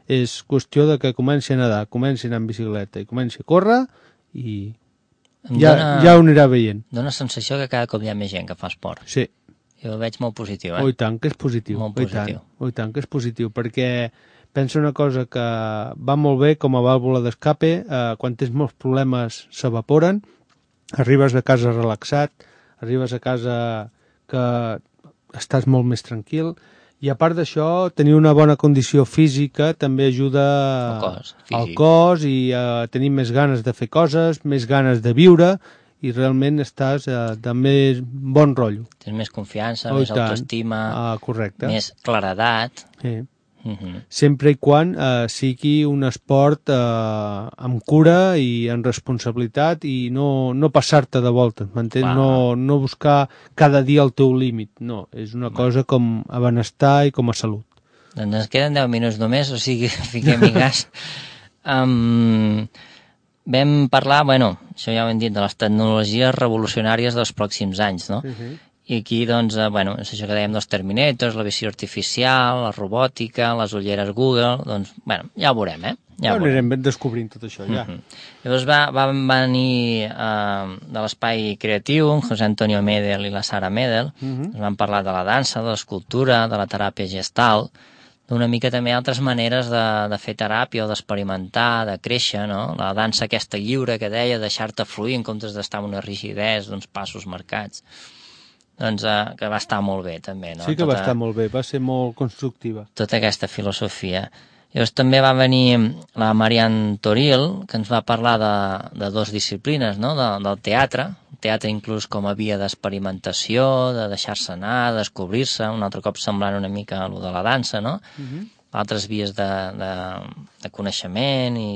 és qüestió de que comenci a nedar, comenci a anar en bicicleta i comenci a córrer i ja, dona, ja ho anirà veient. Dóna sensació que cada cop hi ha més gent que fa esport. Sí. Jo ho veig molt positiu, eh? Oh, i tant que és positiu. Molt oh, positiu. I tant, oh, i tant que és positiu, perquè pensa una cosa que va molt bé com a vàlvula d'escape, eh, quan tens molts problemes s'evaporen, arribes a casa relaxat, arribes a casa que estàs molt més tranquil, i a part d'això, tenir una bona condició física també ajuda al cos, al cos i a tenir més ganes de fer coses, més ganes de viure, i realment estàs eh, de més bon rotllo. Tens més confiança, oh, més autoestima, ah, correcte. més claredat. Sí. Uh-huh. Sempre i quan eh, sigui un esport eh, amb cura i amb responsabilitat i no, no passar-te de voltes, m'entens? No, no buscar cada dia el teu límit, no, és una Va. cosa com a benestar i com a salut. Doncs ens queden deu minuts només, o sigui, fiquem-hi gas. um, vam parlar, bueno, això ja ho hem dit, de les tecnologies revolucionàries dels pròxims anys, no? Uh-huh. I aquí, doncs, eh, bueno, és això que dèiem dels Terminators, la visió artificial, la robòtica, les ulleres Google, doncs, bueno, ja ho veurem, eh? Ja, ja ho anirem descobrint tot això, ja. Uh-huh. Llavors va, va venir eh, de l'Espai Creatiu, en José Antonio Medel i la Sara Medel, uh-huh. ens van parlar de la dansa, de l'escultura, de la teràpia gestal, d'una mica també altres maneres de, de fer teràpia o d'experimentar, de créixer, no? La dansa aquesta lliure que deia, deixar-te fluir en comptes d'estar en una rigidesa d'uns passos marcats. Doncs eh, que va estar molt bé també, no? Sí que tota, va estar molt bé, va ser molt constructiva. Tota aquesta filosofia. Llavors també va venir la Marianne Toril, que ens va parlar de, de dues disciplines, no? De, del teatre, teatre inclús com a via d'experimentació, de deixar-se anar, de descobrir-se, un altre cop semblant una mica a lo de la dansa, no? Uh-huh. Altres vies de, de, de coneixement i,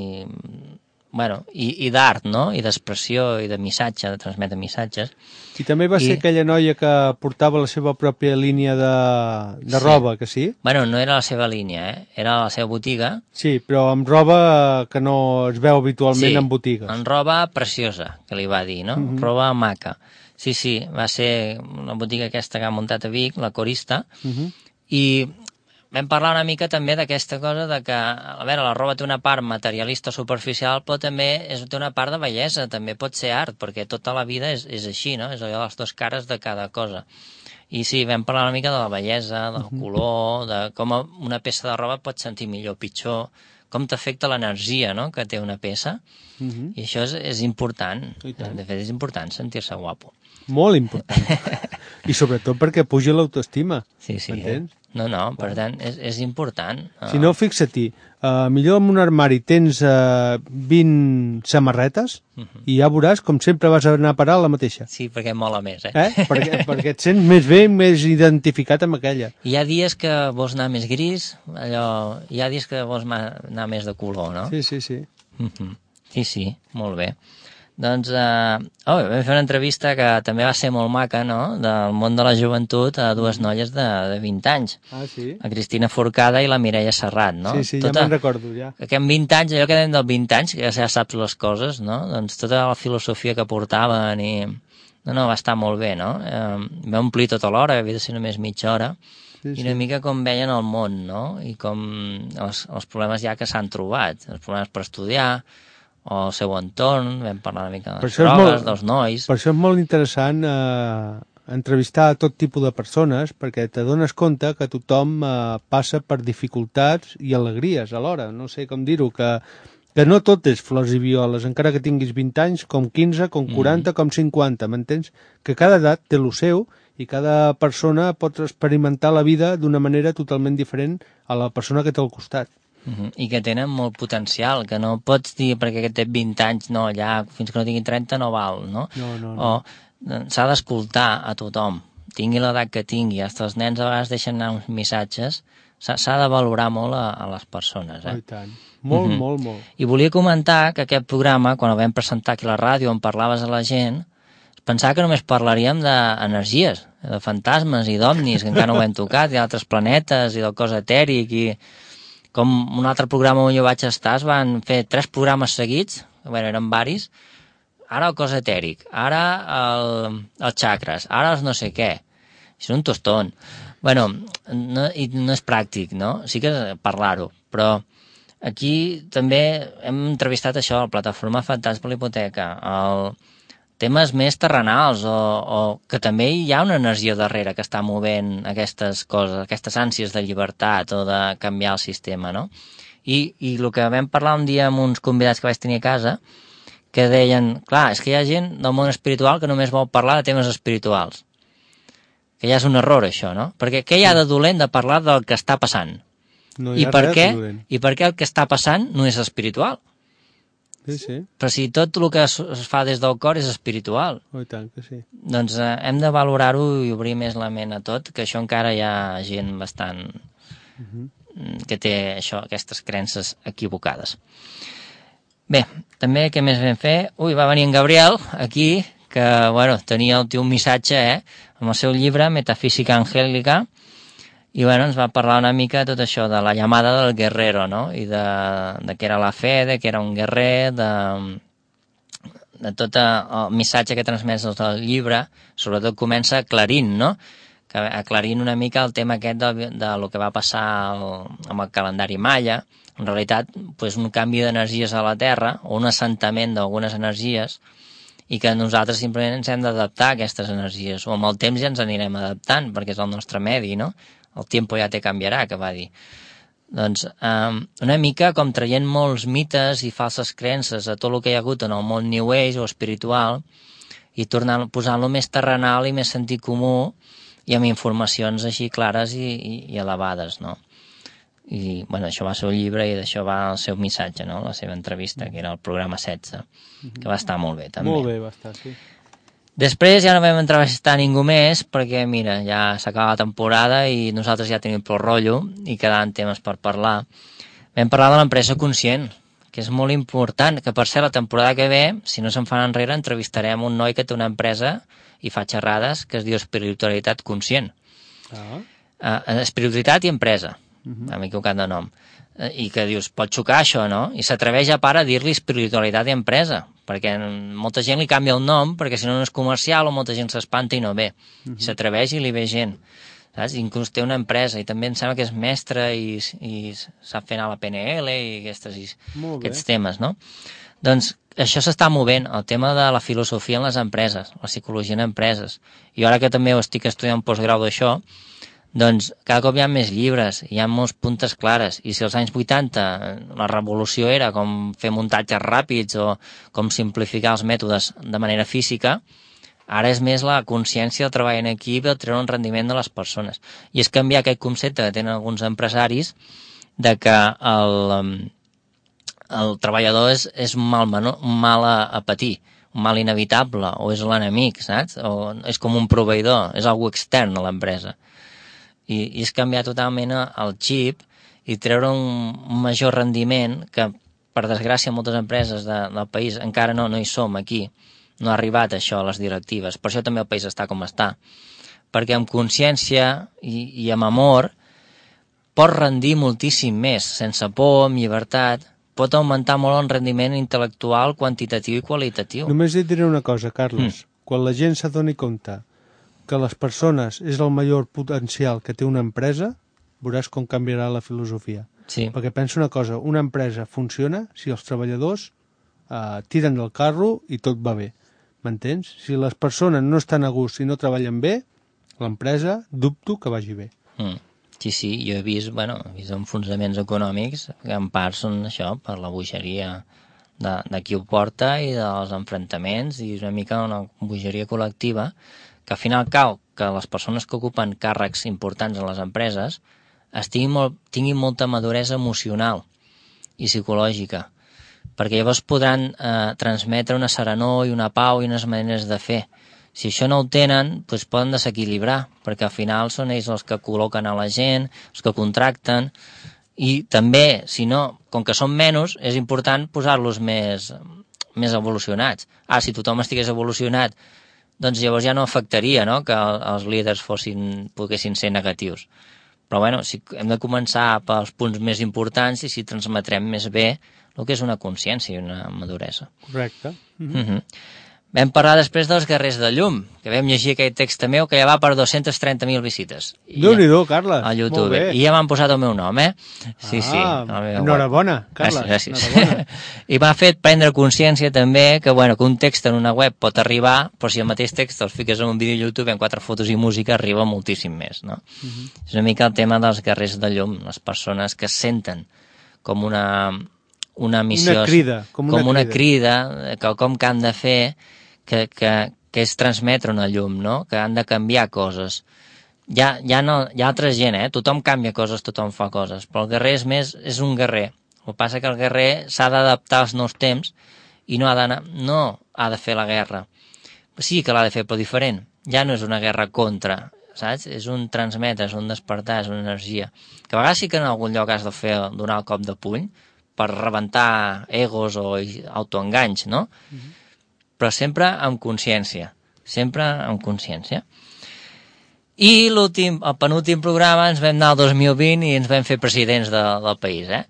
bueno, i, i d'art, no? I d'expressió i de missatge, de transmetre missatges. I també va I... ser aquella noia que portava la seva pròpia línia de, de sí. roba, que sí? Bueno, no era la seva línia, eh? Era la seva botiga. Sí, però amb roba que no es veu habitualment sí, en botigues. Sí, en roba preciosa, que li va dir, no? Uh-huh. Roba maca. Sí, sí, va ser una botiga aquesta que ha muntat a Vic, la Corista, uh-huh. i vam parlar una mica també d'aquesta cosa de que, a veure, la roba té una part materialista superficial, però també és, té una part de bellesa, també pot ser art, perquè tota la vida és, és així, no? És allò de les dues cares de cada cosa. I sí, vam parlar una mica de la bellesa, del uh-huh. color, de com una peça de roba pot sentir millor o pitjor, com t'afecta l'energia, no?, que té una peça, uh-huh. i això és, és important. De fet, és important sentir-se guapo. Molt important. I sobretot perquè puja l'autoestima. Sí, sí. M'entens? No, no, per tant, és, és important. Si no, fixa-t'hi, uh, millor en un armari tens uh, vint samarretes uh-huh. i ja veuràs com sempre vas anar a parar la mateixa. Sí, perquè mola més, eh? eh? Perquè, perquè et sents més bé, més identificat amb aquella. I hi ha dies que vols anar més gris, allò... hi ha dies que vols anar més de color, no? Sí, sí, sí. Uh-huh. Sí, sí, molt bé. Doncs, eh, oh, vam fer una entrevista que també va ser molt maca, no?, del món de la joventut a dues noies de, de vint anys. Ah, sí? La Cristina Forcada i la Mireia Serrat, no? Sí, sí, tota, ja me'n recordo, ja. Que amb vint anys, allò que dèiem del vint anys, que ja saps les coses, no?, doncs tota la filosofia que portaven i... No, no, va estar molt bé, no? Eh, va omplir tota l'hora, havia de ser només mitja hora, sí, i una sí. mica com veien el món, no?, i com els, els problemes ja que s'han trobat, els problemes per estudiar, o el seu entorn, vam parlar una mica de les drogues, molt, dels nois... Per això és molt interessant eh, entrevistar a tot tipus de persones, perquè te dones compte que tothom eh, passa per dificultats i alegries alhora, no sé com dir-ho, que, que no tot és flors i violes, encara que tinguis vint anys, com quinze, com quaranta, mm. com cinquanta, m'entens? Que cada edat té el seu i cada persona pot experimentar la vida d'una manera totalment diferent a la persona que té al costat. Uh-huh. I que tenen molt potencial, que no pots dir perquè aquest té vint anys, no, ja fins que no tingui trenta no val, no? No, no, no. O s'ha d'escoltar a tothom, tingui l'edat que tingui, fins els nens a vegades deixen anar uns missatges, s'ha de valorar molt a, a les persones, eh? Oh, i tant. Molt, uh-huh. molt, molt. I volia comentar que aquest programa, quan el vam presentar aquí a la ràdio, on parlaves a la gent, pensava que només parlaríem d'energies, de fantasmes i d'omnis, que encara no ho hem tocat, i d'altres planetes, i del cos etèric, i... com un altre programa on jo vaig estar, es van fer tres programes seguits, bueno, eren varis, ara el cos etèric, ara el, els xacres, ara els no sé què, és un tostón. Bueno, no, i no és pràctic, no? Sí que parlar-ho, però aquí també hem entrevistat això, la plataforma Fantasma per la Hipoteca, el... temes més terrenals o, o que també hi ha una energia darrere que està movent aquestes coses, aquestes ànsies de llibertat o de canviar el sistema, no? I, i el que vam parlar un dia amb uns convidats que vaig tenir a casa, que deien, clar, és que hi ha gent del món espiritual que només vol parlar de temes espirituals. Que ja és un error, això, no? Perquè què hi ha de dolent de parlar del que està passant? No hi ha I per res què? de dolent. I per què el que està passant no és espiritual? Sí, sí. Però si tot el que es fa des del cor és espiritual. Oh, i tant que sí. Doncs eh, hem de valorar-ho i obrir més la ment a tot, que això encara hi ha gent bastant uh-huh. que té això, aquestes creences equivocades. Bé, també què més vam fer? Ui, va venir en Gabriel aquí, que bueno, tenia el teu missatge, eh, amb el seu llibre Metafísica Angélica, i bueno, ens va parlar una mica de tot això, de la llamada del guerrero, no? I de, de què era la fe, de què era un guerrer, de, de tot el missatge que transmès el llibre, sobretot comença aclarint, no? Que aclarint una mica el tema aquest de, de lo que va passar el, amb el calendari maia, en realitat pues, un canvi d'energies a la Terra, o un assentament d'algunes energies, i que nosaltres simplement ens hem d'adaptar a aquestes energies, o amb el temps ja ens anirem adaptant, perquè és el nostre medi, no? El tiempo ja te canviarà, que va dir. Doncs um, una mica com traient molts mites i falses creences a tot el que hi ha hagut en el món New Age o espiritual i tornant, posant-lo més terrenal i més sentit comú i amb informacions així clares i, i, i elevades, no? I, bueno, això va ser un llibre i d'això va el seu missatge, no? La seva entrevista, que era el programa setze, que va estar molt bé, també. Molt bé, va estar, sí. Després ja no vam entrevistar ningú més perquè, mira, ja s'acaba la temporada i nosaltres ja tenim prou rotllo i quedaven temes per parlar. Vam parlar de l'empresa conscient, que és molt important, que per ser la temporada que ve, si no se'n fan enrere, entrevistarem un noi que té una empresa i fa xerrades que es diu Espiritualitat Conscient. Ah. Uh, espiritualitat i empresa, Uh-huh. m'he equivocat de nom. Uh, I que dius, pot xocar això, no? I s'atreveix a part a dir-li espiritualitat i empresa, perquè molta gent li canvia el nom, perquè si no no és comercial o molta gent s'espanta i no ve. Uh-huh. I s'atreveix i li ve gent. Saps? Inclús té una empresa i també em sembla que és mestre i, i sap fer anar a la P N L i aquestes, i aquests temes, no? Doncs això s'està movent, el tema de la filosofia en les empreses, la psicologia en empreses. I ara que també ho estic estudiant postgrau d'això, doncs cada cop hi ha més llibres, hi ha molts puntes clares, i si als anys vuitanta la revolució era com fer muntatges ràpids o com simplificar els mètodes de manera física, ara és més la consciència del treball en equip i el treure un rendiment de les persones. I és canviar aquest concepte que tenen alguns empresaris de que el, el treballador és, és un mal, menor, un mal a, a patir, un mal inevitable, o és l'enemic, saps? O és com un proveïdor, és algú extern a l'empresa. I, i és canviar totalment el xip i treure un, un major rendiment que, per desgràcia, moltes empreses de, del país encara no, no hi som aquí. No ha arribat això a les directives. Per això també el país està com està. Perquè amb consciència i, i amb amor pot rendir moltíssim més. Sense por, amb llibertat, pot augmentar molt el rendiment intel·lectual, quantitatiu i qualitatiu. Només et diré una cosa, Carles. Mm. Quan la gent s'adoni compte que les persones és el major potencial que té una empresa, veuràs com canviarà la filosofia. Sí. Perquè pensa una cosa, una empresa funciona si els treballadors eh, tiren del carro i tot va bé. M'entens? Si les persones no estan a gust i no treballen bé, l'empresa dubto que vagi bé. Mm. Sí, sí, jo he vist, bueno, he vist enfonsaments econòmics que en part són això, per la bogeria de, de qui ho porta i dels enfrontaments, i una mica una bogeria col·lectiva que al final cal que les persones que ocupen càrrecs importants en les empreses estiguin molt, tinguin molta maduresa emocional i psicològica, perquè llavors podran eh, transmetre una serenor i una pau i unes maneres de fer. Si això no ho tenen, doncs poden desequilibrar, perquè al final són ells els que col·loquen a la gent, els que contracten, i també, si no, com que són menys, és important posar-los més, més evolucionats. Ah, si tothom estigués evolucionat, doncs llavors ja no afectaria, no?, que els líders fossin, poguessin ser negatius. Però bueno, si hem de començar pels punts més importants i si transmetrem més bé el que és una consciència i una maduresa. Correcte. Mm-hmm. Mm-hmm. Vam parlar després dels Guerrers de Llum, que vam llegir aquell text meu que ja va per dos-centes trenta mil visites. Déu-n'hi-do, Carles. A YouTube. I ja m'han posat el meu nom, eh? Sí, ah, sí. Enhorabona, Carles. Gràcies, gràcies. I m'ha fet prendre consciència també que, bueno, que un text en una web pot arribar, però si el mateix text el fiques en un vídeo a YouTube amb quatre fotos i música arriba moltíssim més, no? Uh-huh. És una mica el tema dels Guerrers de Llum, les persones que senten com una, una missió... Una crida. Com una, com una crida, crida que com que han de fer... Que, que, que és transmetre una llum, no?, que han de canviar coses. Hi ha, hi ha, no, hi ha altra gent, eh? Tothom canvia coses, tothom fa coses, però el guerrer és més, és un guerrer. El que passa que el guerrer s'ha d'adaptar als nous temps i no ha d'anar, no ha de fer la guerra. Sí que l'ha de fer, però diferent. Ja no és una guerra contra, saps? És un transmetre, és un despertar, és una energia. Que a vegades sí que en algun lloc has de fer, donar el cop de puny per rebentar egos o autoenganys, no? Mm-hmm. Però sempre amb consciència, sempre amb consciència. I l'últim, el penúltim programa ens vam anar al dos mil vint i ens vam fer presidents de, del país, eh?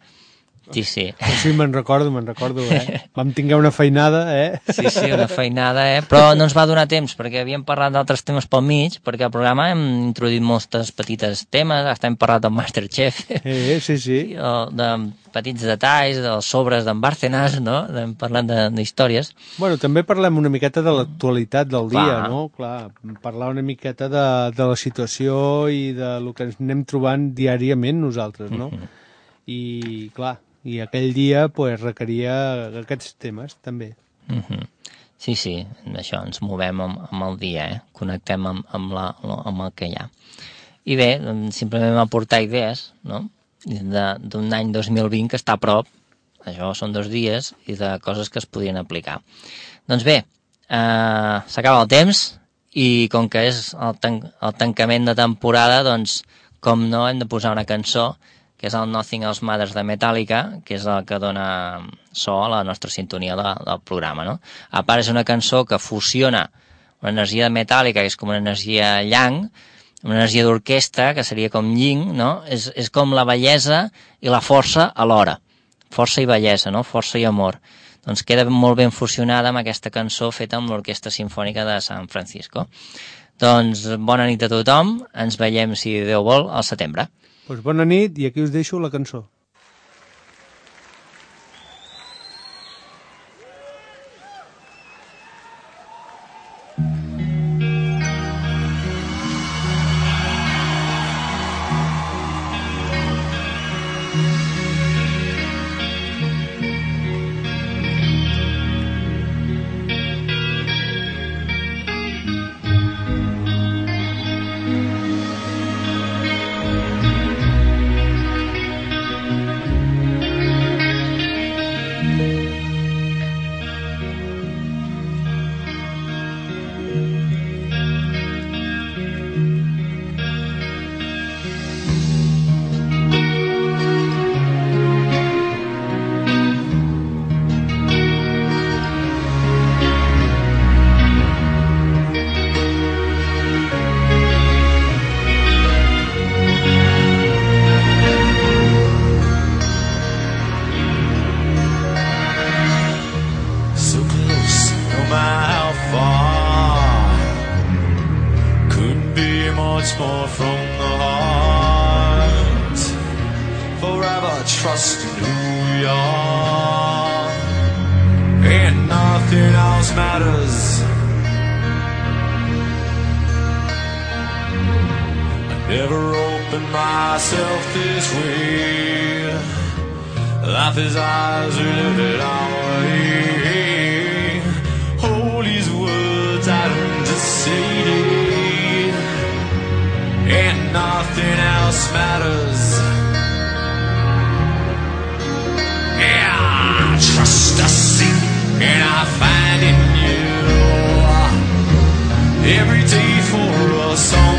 Sí, sí. Sí, me'n recordo, me'n recordo, eh? Vam tinguer una feinada, eh? Sí, sí, una feinada, eh? Però no ens va donar temps, perquè havíem parlat d'altres temes pel mig, perquè al programa hem introduït moltes petites temes, hasta hem parlat del Masterchef. Eh, sí, sí. De petits detalls, dels sobres d'en Bárcenas, no? Hem parlat d'històries. Bueno, també parlem una miqueta de l'actualitat del dia, Clar. no? Clar, parlar una miqueta de, de la situació i de lo que ens anem trobant diàriament nosaltres, no? Mm-hmm. i clar, i aquell dia pues, requeria aquests temes també. Mm-hmm. Sí, sí, això, ens movem amb, amb el dia, eh? Connectem amb, amb, la, amb el que hi ha. I bé, simplement aportar idees, no? D'un any dos mil vint que està a prop, això són dos dies, i de coses que es podrien aplicar. Doncs bé, eh, s'acaba el temps, i com que és el, tan el tancament de temporada, doncs, com no, hem de posar una cançó, que és el Nothing Else Matters de Metallica, que és el que dona so a la nostra sintonia de, del programa, no? A part, és una cançó que fusiona una energia de Metallica, que és com una energia yang, una energia d'orquestra, que seria com yin, no? És, és com la bellesa i la força alhora. Força i bellesa, no? Força i amor. Doncs queda molt ben fusionada amb aquesta cançó feta amb l'Orquestra Simfònica de San Francisco. Doncs bona nit a tothom, ens veiem, si Déu vol, al setembre. Pues bona nit, i aquí us deixo la cançó. Trust in who we are, and nothing else matters. I never opened myself this way. Life is ours, we live it our way. Hold these words out and say, and nothing else matters. Yeah, trust us and I find in you every day for a song.